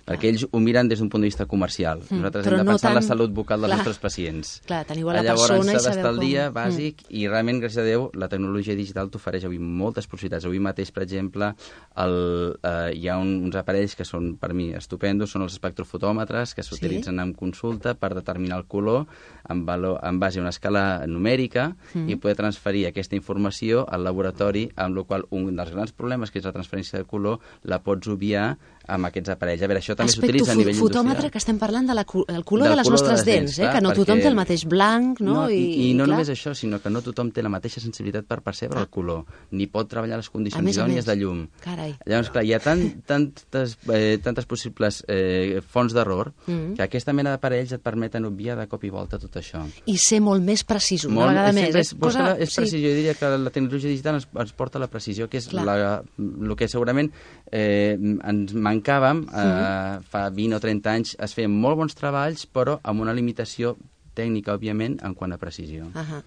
Perquè ells ho miren des d'un punt de vista comercial. Mm, Nosaltres però hem de no pensar en la tant- salut bucal dels clar. nostres pacients. Clar, tenir igual la Llavors persona i s'ha saber d'estar al com- dia Mm. bàsic i realment, gràcies a Déu, la tecnologia digital t'ofereix avui moltes possibilitats. Avui mateix, per exemple, el, eh, hi ha un, uns aparells que són, per mi, estupendos, són els espectrofotòmetres que s'utilitzen en consulta per determinar el color en, valor, en base a una escala numèrica Mm. i poder transferir aquesta informació al laboratori, amb la qual un dels grans problemes, que és la transferència de color, la pots obviar amb aquests aparells. A veure, això també s'utilitza a nivell fotòmetre, industrial. que estem parlant de la, cu- del color Del de les color de nostres les dents, dents, eh? clar, que no tothom perquè- té el mateix blanc, no? No, i, i no clar, només això, sinó que no tothom té la mateixa sensibilitat per percebre el color, ni pot treballar les A condicions més a idònies més. de llum. Carai. Llavors, clar, hi ha tant, tantes, eh, tantes possibles eh, fonts d'error Mm. que aquesta mena d'aparells et permeten obviar de cop i volta tot això. I ser molt més precisos, una Molt- vegada més. sempre eh? és, cosa, és precisió, jo diria que la tecnologia digital ens, ens porta a la precisió, que és Clar. la, el que segurament eh, ens mancàvem eh, fa vint o trenta anys. Es feien molt bons treballs, però amb una limitació tècnica, òbviament, en quant a precisió. Ahà.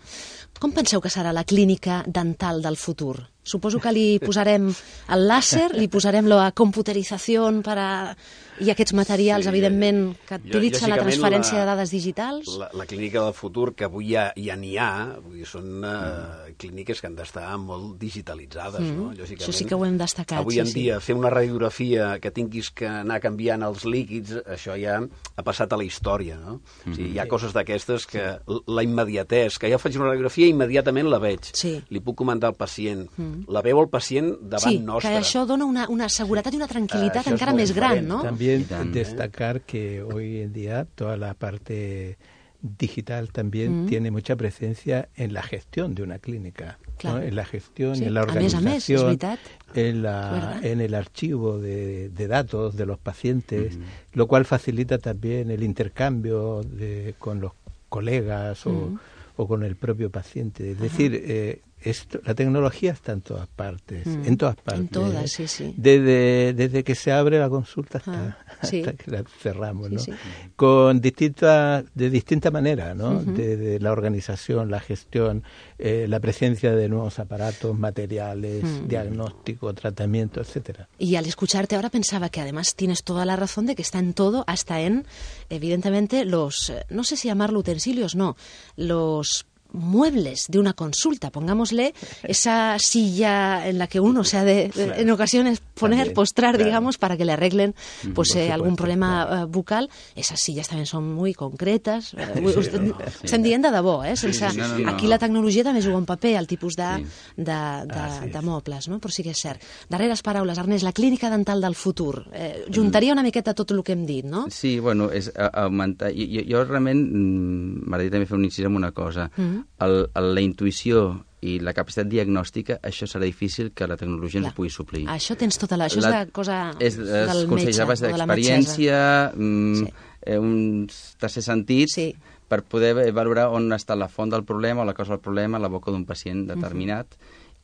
Com penseu que serà la clínica dental del futur? Suposo que li posarem el làser, li posarem la computerització per a... i aquests materials, Sí, evidentment, que jo- utilitzen la lògicament, transferència la- de dades digitals. La, la clínica del futur, que avui ja ja n'hi ha, vull dir, són uh, clíniques que han d'estar molt digitalitzades, Mm. no? Lògicament, Això sí que ho hem destacat, Avui sí, en sí. dia, fer una radiografia que tinguis que anar canviant els líquids, això ja ha passat a la història, no? O sigui, hi ha coses d'aquestes que l- la immediatesa, que ja faig una radiografia i immediatament la veig. Sí. Li puc comentar al pacient. La veu el pacient davant Sí, nostre. que això dona una, una seguretat i una tranquil·litat Ah, això és encara molt més gran, diferent. no? También Y tan- destacar que hoy en día toda la parte digital también Mm. tiene mucha presencia en la gestión de una clínica, Claro. ¿no? En la gestión, Sí, en la a més a més, és organización, veritat. en, la, Verdad. en el archivo de, de datos de los pacientes, lo cual facilita también el intercambio de, con los colegas o, Mm. o con el propio paciente. Es decir, eh, esto, la tecnología está en todas partes, Mm. en todas partes. En todas, ¿eh? sí, sí. Desde, desde que se abre la consulta hasta, Ah, sí. hasta que la cerramos, Sí, ¿no? sí. Con distinta, de distinta manera, ¿no? Ujú. Desde la organización, la gestión, eh, la presencia de nuevos aparatos, materiales, Mm. diagnóstico, tratamiento, etcétera. Y al escucharte ahora pensaba que además tienes toda la razón de que está en todo, hasta en, evidentemente, los, eh, no sé si llamarlo utensilios, no, los muebles de una consulta, pongámosle esa silla en la que uno se ha de, Claro. en ocasiones poner, También, postrar, claro. digamos, para que le arreglen pues por eh, algún supuesto, problema claro. eh, bucal. Esas sillas también son muy concretes. Eh, muy- Sí, usted- no, sí. Estem dient de debò, eh? Sense, sí, no, no, aquí no. la tecnologia també juga un paper, el tipus de, Sí. de, de, Ah, sí, de sí. mobles, no? Però sí que és cert. Darreres paraules, Ernest, la clínica dental del futur. Eh, juntaria una miqueta tot el que hem dit, no? Sí, bueno, és a- augmentar... Jo, jo, jo realment mm, m'agradaria també fer un incís en una cosa. Mm. El, el, la intuïció i la capacitat diagnòstica, això serà difícil que la tecnologia ens Clar. ho pugui suplir. Això tens tota la... Això és la cosa és, del els consells metge a base o de la metgessa. d'experiència, mm, Sí. eh, un tercer sentit, Sí. per poder valorar on està la font del problema o la causa del problema a la boca d'un pacient determinat.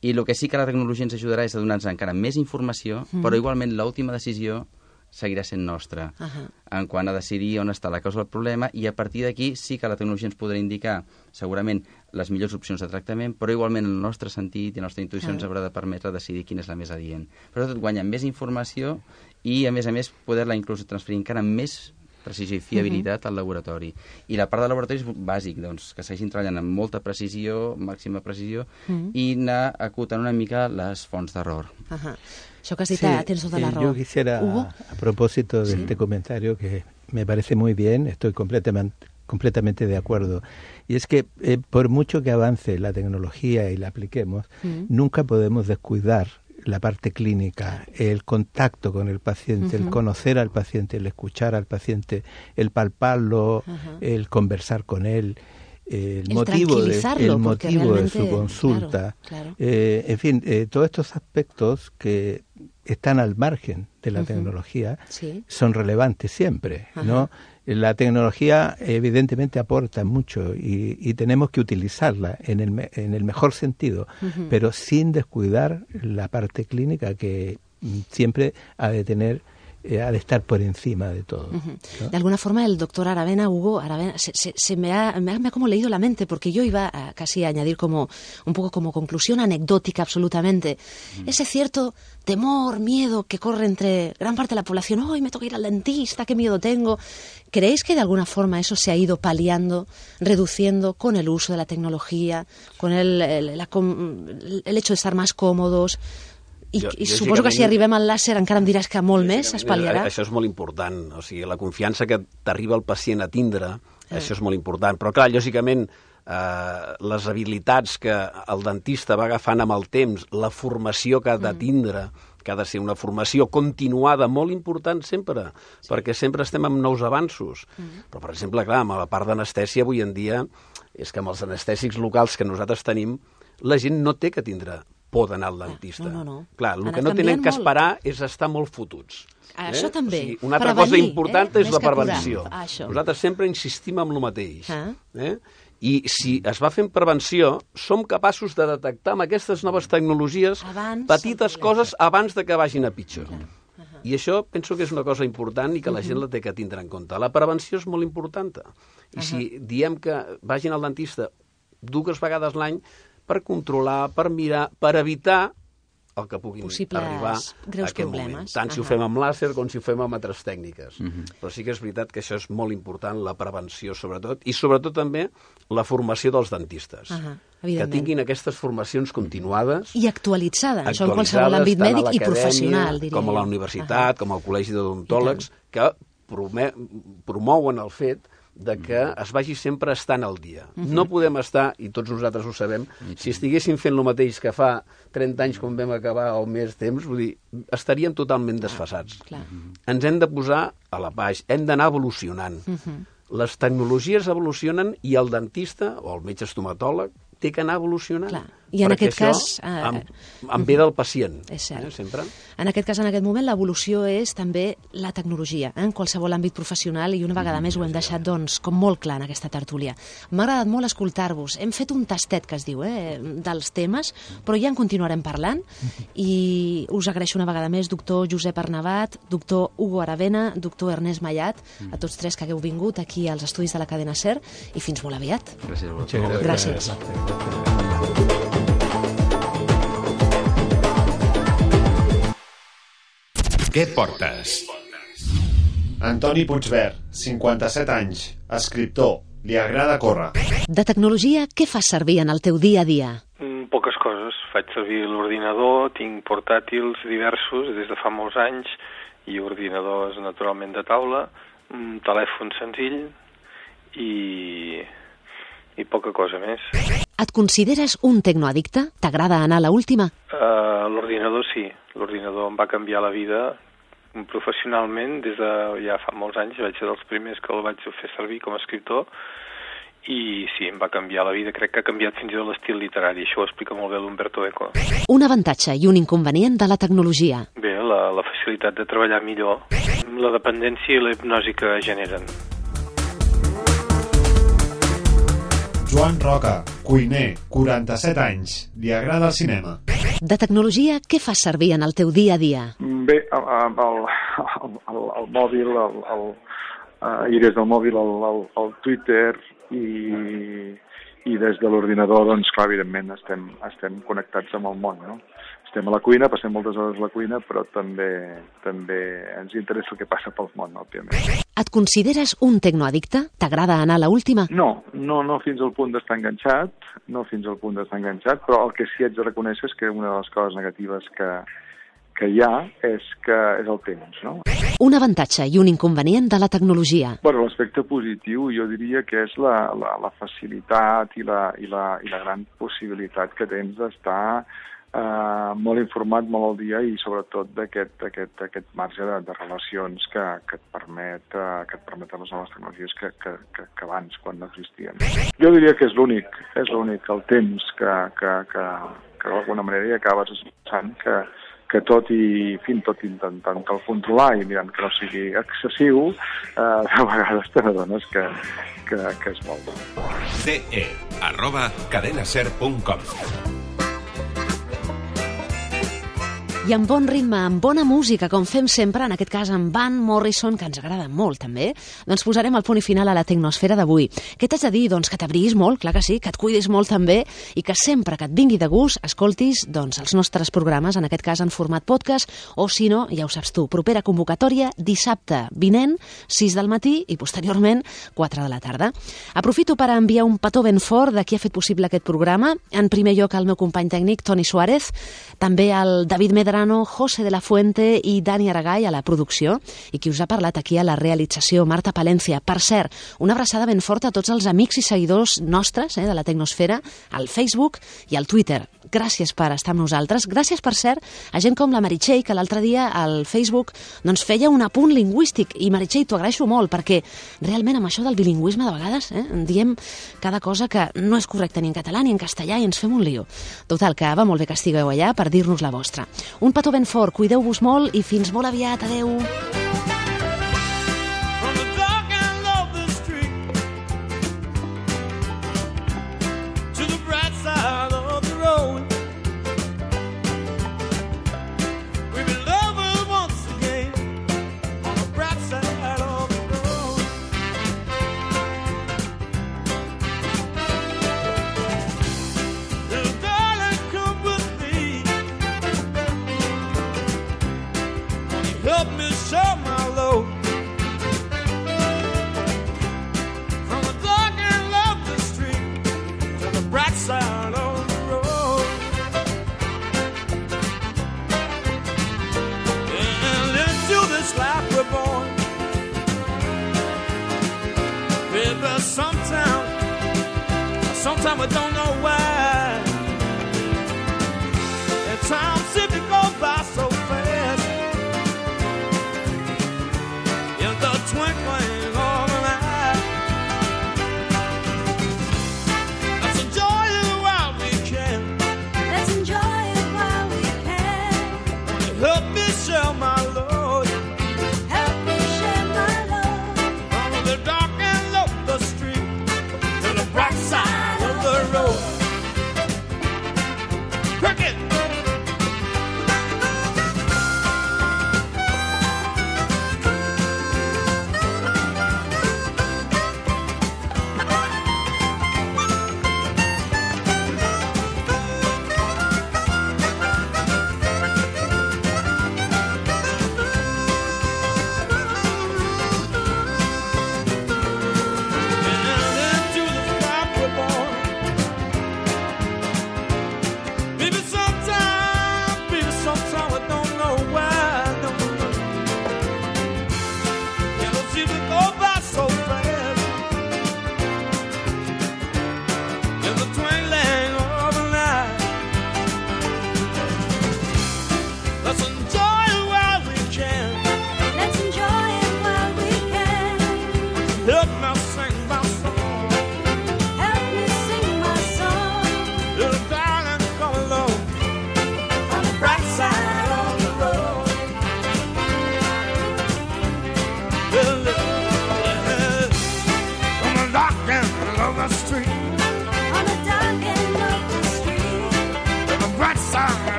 I el que sí que la tecnologia ens ajudarà és a donar-nos encara més informació, però igualment l'última decisió seguirà sent nostra Ahà. en quant a decidir on està la causa del problema, i a partir d'aquí sí que la tecnologia ens podrà indicar segurament les millors opcions de tractament, però igualment el nostre sentit i la nostra intuïció ens haurà de permetre decidir quina és la més adient. Però tot guanya més informació i, a més a més, poder-la inclús transferir encara amb més precisió i fiabilitat uh -huh. al laboratori. I la part del laboratori és bàsic, doncs, que segueixin treballant amb molta precisió, màxima precisió, uh -huh. i anar acotant una mica les fonts d'error. Uh -huh. Això que has dit, sí, tens tota la sí, raó. Yo quisiera, ¿Hugo? a propósito de ¿Sí? este comentario, que me parece muy bien, estoy completamente, completamente de acuerdo, y es que eh, por mucho que avance la tecnología y la apliquemos, uh-huh. nunca podemos descuidar la parte clínica, el contacto con el paciente, uh-huh. el conocer al paciente, el escuchar al paciente, el palparlo, uh-huh. el conversar con él, el, el motivo, de, el motivo de su consulta, claro, claro. Eh, en fin, eh, todos estos aspectos que están al margen de la uh-huh. tecnología sí. son relevantes siempre, uh-huh. ¿no? La tecnología evidentemente aporta mucho y, y tenemos que utilizarla en el, me, en el mejor sentido, uh-huh. pero sin descuidar la parte clínica que siempre ha de tener, eh, ha de estar por encima de todo. Uh-huh. ¿no? De alguna forma el doctor Aravena, Hugo Aravena, se, se, se me, ha, me, ha, me ha como leído la mente, porque yo iba a casi a añadir como un poco como conclusión anecdótica absolutamente, uh-huh. ese cierto temor, miedo que corre entre gran parte de la población. ¡Ay, me toca ir al dentista! ¡Qué miedo tengo! ¿Creéis que de alguna forma eso se ha ido paliando, reduciendo con el uso de la tecnología, con el, el, la, el hecho de estar más cómodos? I, jo, i jo suposo que si arribem al làser encara em diràs que molt més es pal·liarà. Això és molt important, o sigui, la confiança que t'arriba el pacient a tindre, eh. això és molt important. Però clar, lògicament, eh, les habilitats que el dentista va agafant amb el temps, la formació que ha de tindre, mm. que ha de ser una formació continuada, molt important sempre, sí. perquè sempre estem amb nous avanços. Mm. Però, per exemple, clar, amb la part d'anestèsia avui en dia, és que amb els anestèsics locals que nosaltres tenim, la gent no té que tindre por d'anar al dentista. No, no, no. Clar, el que no tenen que esperar molt. És estar molt fotuts. Això eh? també. O sigui, una altra prevenir, cosa important eh? és la prevenció. Ah, nosaltres sempre insistim en el mateix. Ah. Eh? I si es va fent prevenció, som capaços de detectar amb aquestes noves tecnologies abans petites coses abans de que vagin a pitjor. Uh -huh. I això penso que és una cosa important i que la gent la té que tindre en compte. La prevenció és molt important. I uh -huh. si diem que vagin al dentista dues vegades l'any, per controlar, per mirar, per evitar el que puguin possibles arribar greus a aquest problemes. moment. Tant uh-huh. si ho fem amb làser com si ho fem amb altres tècniques. Uh-huh. Però sí que és veritat que això és molt important, la prevenció sobretot, i sobretot també la formació dels dentistes. Uh-huh. Que tinguin aquestes formacions continuades. I actualitzades, això en qualsevol àmbit mèdic i professional, diria com a la universitat, uh-huh. com al Col·legi d'Odontòlegs, que promouen el fet de que es vagi sempre estant al dia. Uh-huh. No podem estar, i tots nosaltres ho sabem, si estiguéssim fent el mateix que fa trenta anys quan vam acabar o més temps, vull dir, estaríem totalment desfasats. Ah, ens hem de posar a la baix, hem d'anar evolucionant. Uh-huh. Les tecnologies evolucionen i el dentista o el metge estomatòleg té que anar evolucionant. Clar. I en aquest cas... Amb, amb bé del pacient. És cert. Eh, sempre. En aquest cas, en aquest moment, l'evolució és també la tecnologia, eh, en qualsevol àmbit professional, i una vegada més ho hem deixat, doncs, com molt clar en aquesta tertúlia. M'ha agradat molt escoltar-vos. Hem fet un tastet, que es diu, eh, dels temes, però ja en continuarem parlant, i us agraeixo una vegada més, doctor Josep Arnabat, doctor Hugo Aravena, doctor Ernest Mallat, a tots tres que hagueu vingut aquí als estudis de la cadena SER, i fins molt aviat. Gràcies a vosaltres. Gràcies. Gràcies. Què portes? Antoni Puigvert, cinquanta-set anys, escriptor, li agrada córrer. De tecnologia, què fas servir en el teu dia a dia? Mm, poques coses. Faig servir l'ordinador, tinc portàtils diversos des de fa molts anys, i ordinadors naturalment de taula, un telèfon senzill i, i poca cosa més. Et consideres un tecnoaddicte? T'agrada anar a la última? Uh, l'ordinador sí. L'ordinador em va canviar la vida professionalment. Des de ja fa molts anys vaig ser dels primers que el vaig fer servir com a escriptor, i sí, em va canviar la vida. Crec que ha canviat fins i tot l'estil literari. Això ho explica molt bé l'Umberto Eco. Un avantatge i un inconvenient de la tecnologia. Bé, la, la facilitat de treballar millor, la dependència i la hipnosi que generen. Joan Roca, cuiner, quaranta-set anys, li agrada el cinema. De tecnologia, què fas servir en el teu dia a dia? Bé, el, el, el, el mòbil, el, el, uh, i des del mòbil el, el, el Twitter, i, i des de l'ordinador, doncs clar, evidentment estem, estem connectats amb el món, no? estem a la cuina, passem moltes hores a la cuina, però també també ens interessa el que passa pel món, òbviament. Et consideres un tecnoaddicte? T'agrada anar a l'última? No, no, no fins al punt d'estar enganxat, no fins al punt d'estar enganxat, però el que sí haig de reconèixer és que una de les coses negatives que, que hi ha és que és el temps, no? Un avantatge i un inconvenient de la tecnologia. Bueno, l'aspecte positiu jo diria que és la, la, la facilitat i la, i, la, i la gran possibilitat que tens d'estar Uh, molt informat, molt al dia i sobretot d'aquest aquest, aquest marge de, de relacions que, que et permet uh, que et permeten les noves tecnologies que, que, que, que abans, quan no existien. Jo diria que és l'únic, és l'únic, el temps que, que, que, que d'alguna manera hi acabes pensant que, que tot i fins tot intentant que el controlar i mirant que no sigui excessiu, uh, de vegades te n'adones que, que, que és molt bo. ce e arroba cadenaser punt com I amb bon ritme, amb bona música, com fem sempre, en aquest cas amb Van Morrison, que ens agrada molt també, doncs posarem el punt i final a la tecnosfera d'avui. Què t'haig de dir? Doncs que t'abriguis molt, clar que sí, que et cuidis molt també, i que sempre que et vingui de gust escoltis doncs, els nostres programes, en aquest cas en format podcast, o si no, ja ho saps tu, propera convocatòria dissabte vinent, sis del matí i posteriorment quatre de la tarda. Aprofito per enviar un petó ben fort de qui ha fet possible aquest programa. En primer lloc al meu company tècnic, Toni Suárez, també al David Medra, José de la Fuente i Dani Aragall a la producció, i qui us ha parlat aquí a la realització, Marta Palencia. Per cert, una abraçada ben forta a tots els amics i seguidors nostres eh, de la Tecnosfera, al Facebook i al Twitter. Gràcies per estar amb nosaltres. Gràcies, per cert, a gent com la Meritxell, que l'altre dia al Facebook doncs, feia un apunt lingüístic. I Meritxell, t'ho agraeixo molt, perquè realment amb això del bilingüisme de vegades eh, diem cada cosa que no és correcta ni en català ni en castellà i ens fem un lío. Total, que va molt bé que estigueu allà per dir-nos la vostra. Un petó ben fort, cuideu-vos molt i fins molt aviat. Adeu! Help me show my load from the dark and lovely street to the bright side of the road. And into this life we're born, baby, sometime, sometime we don't know why.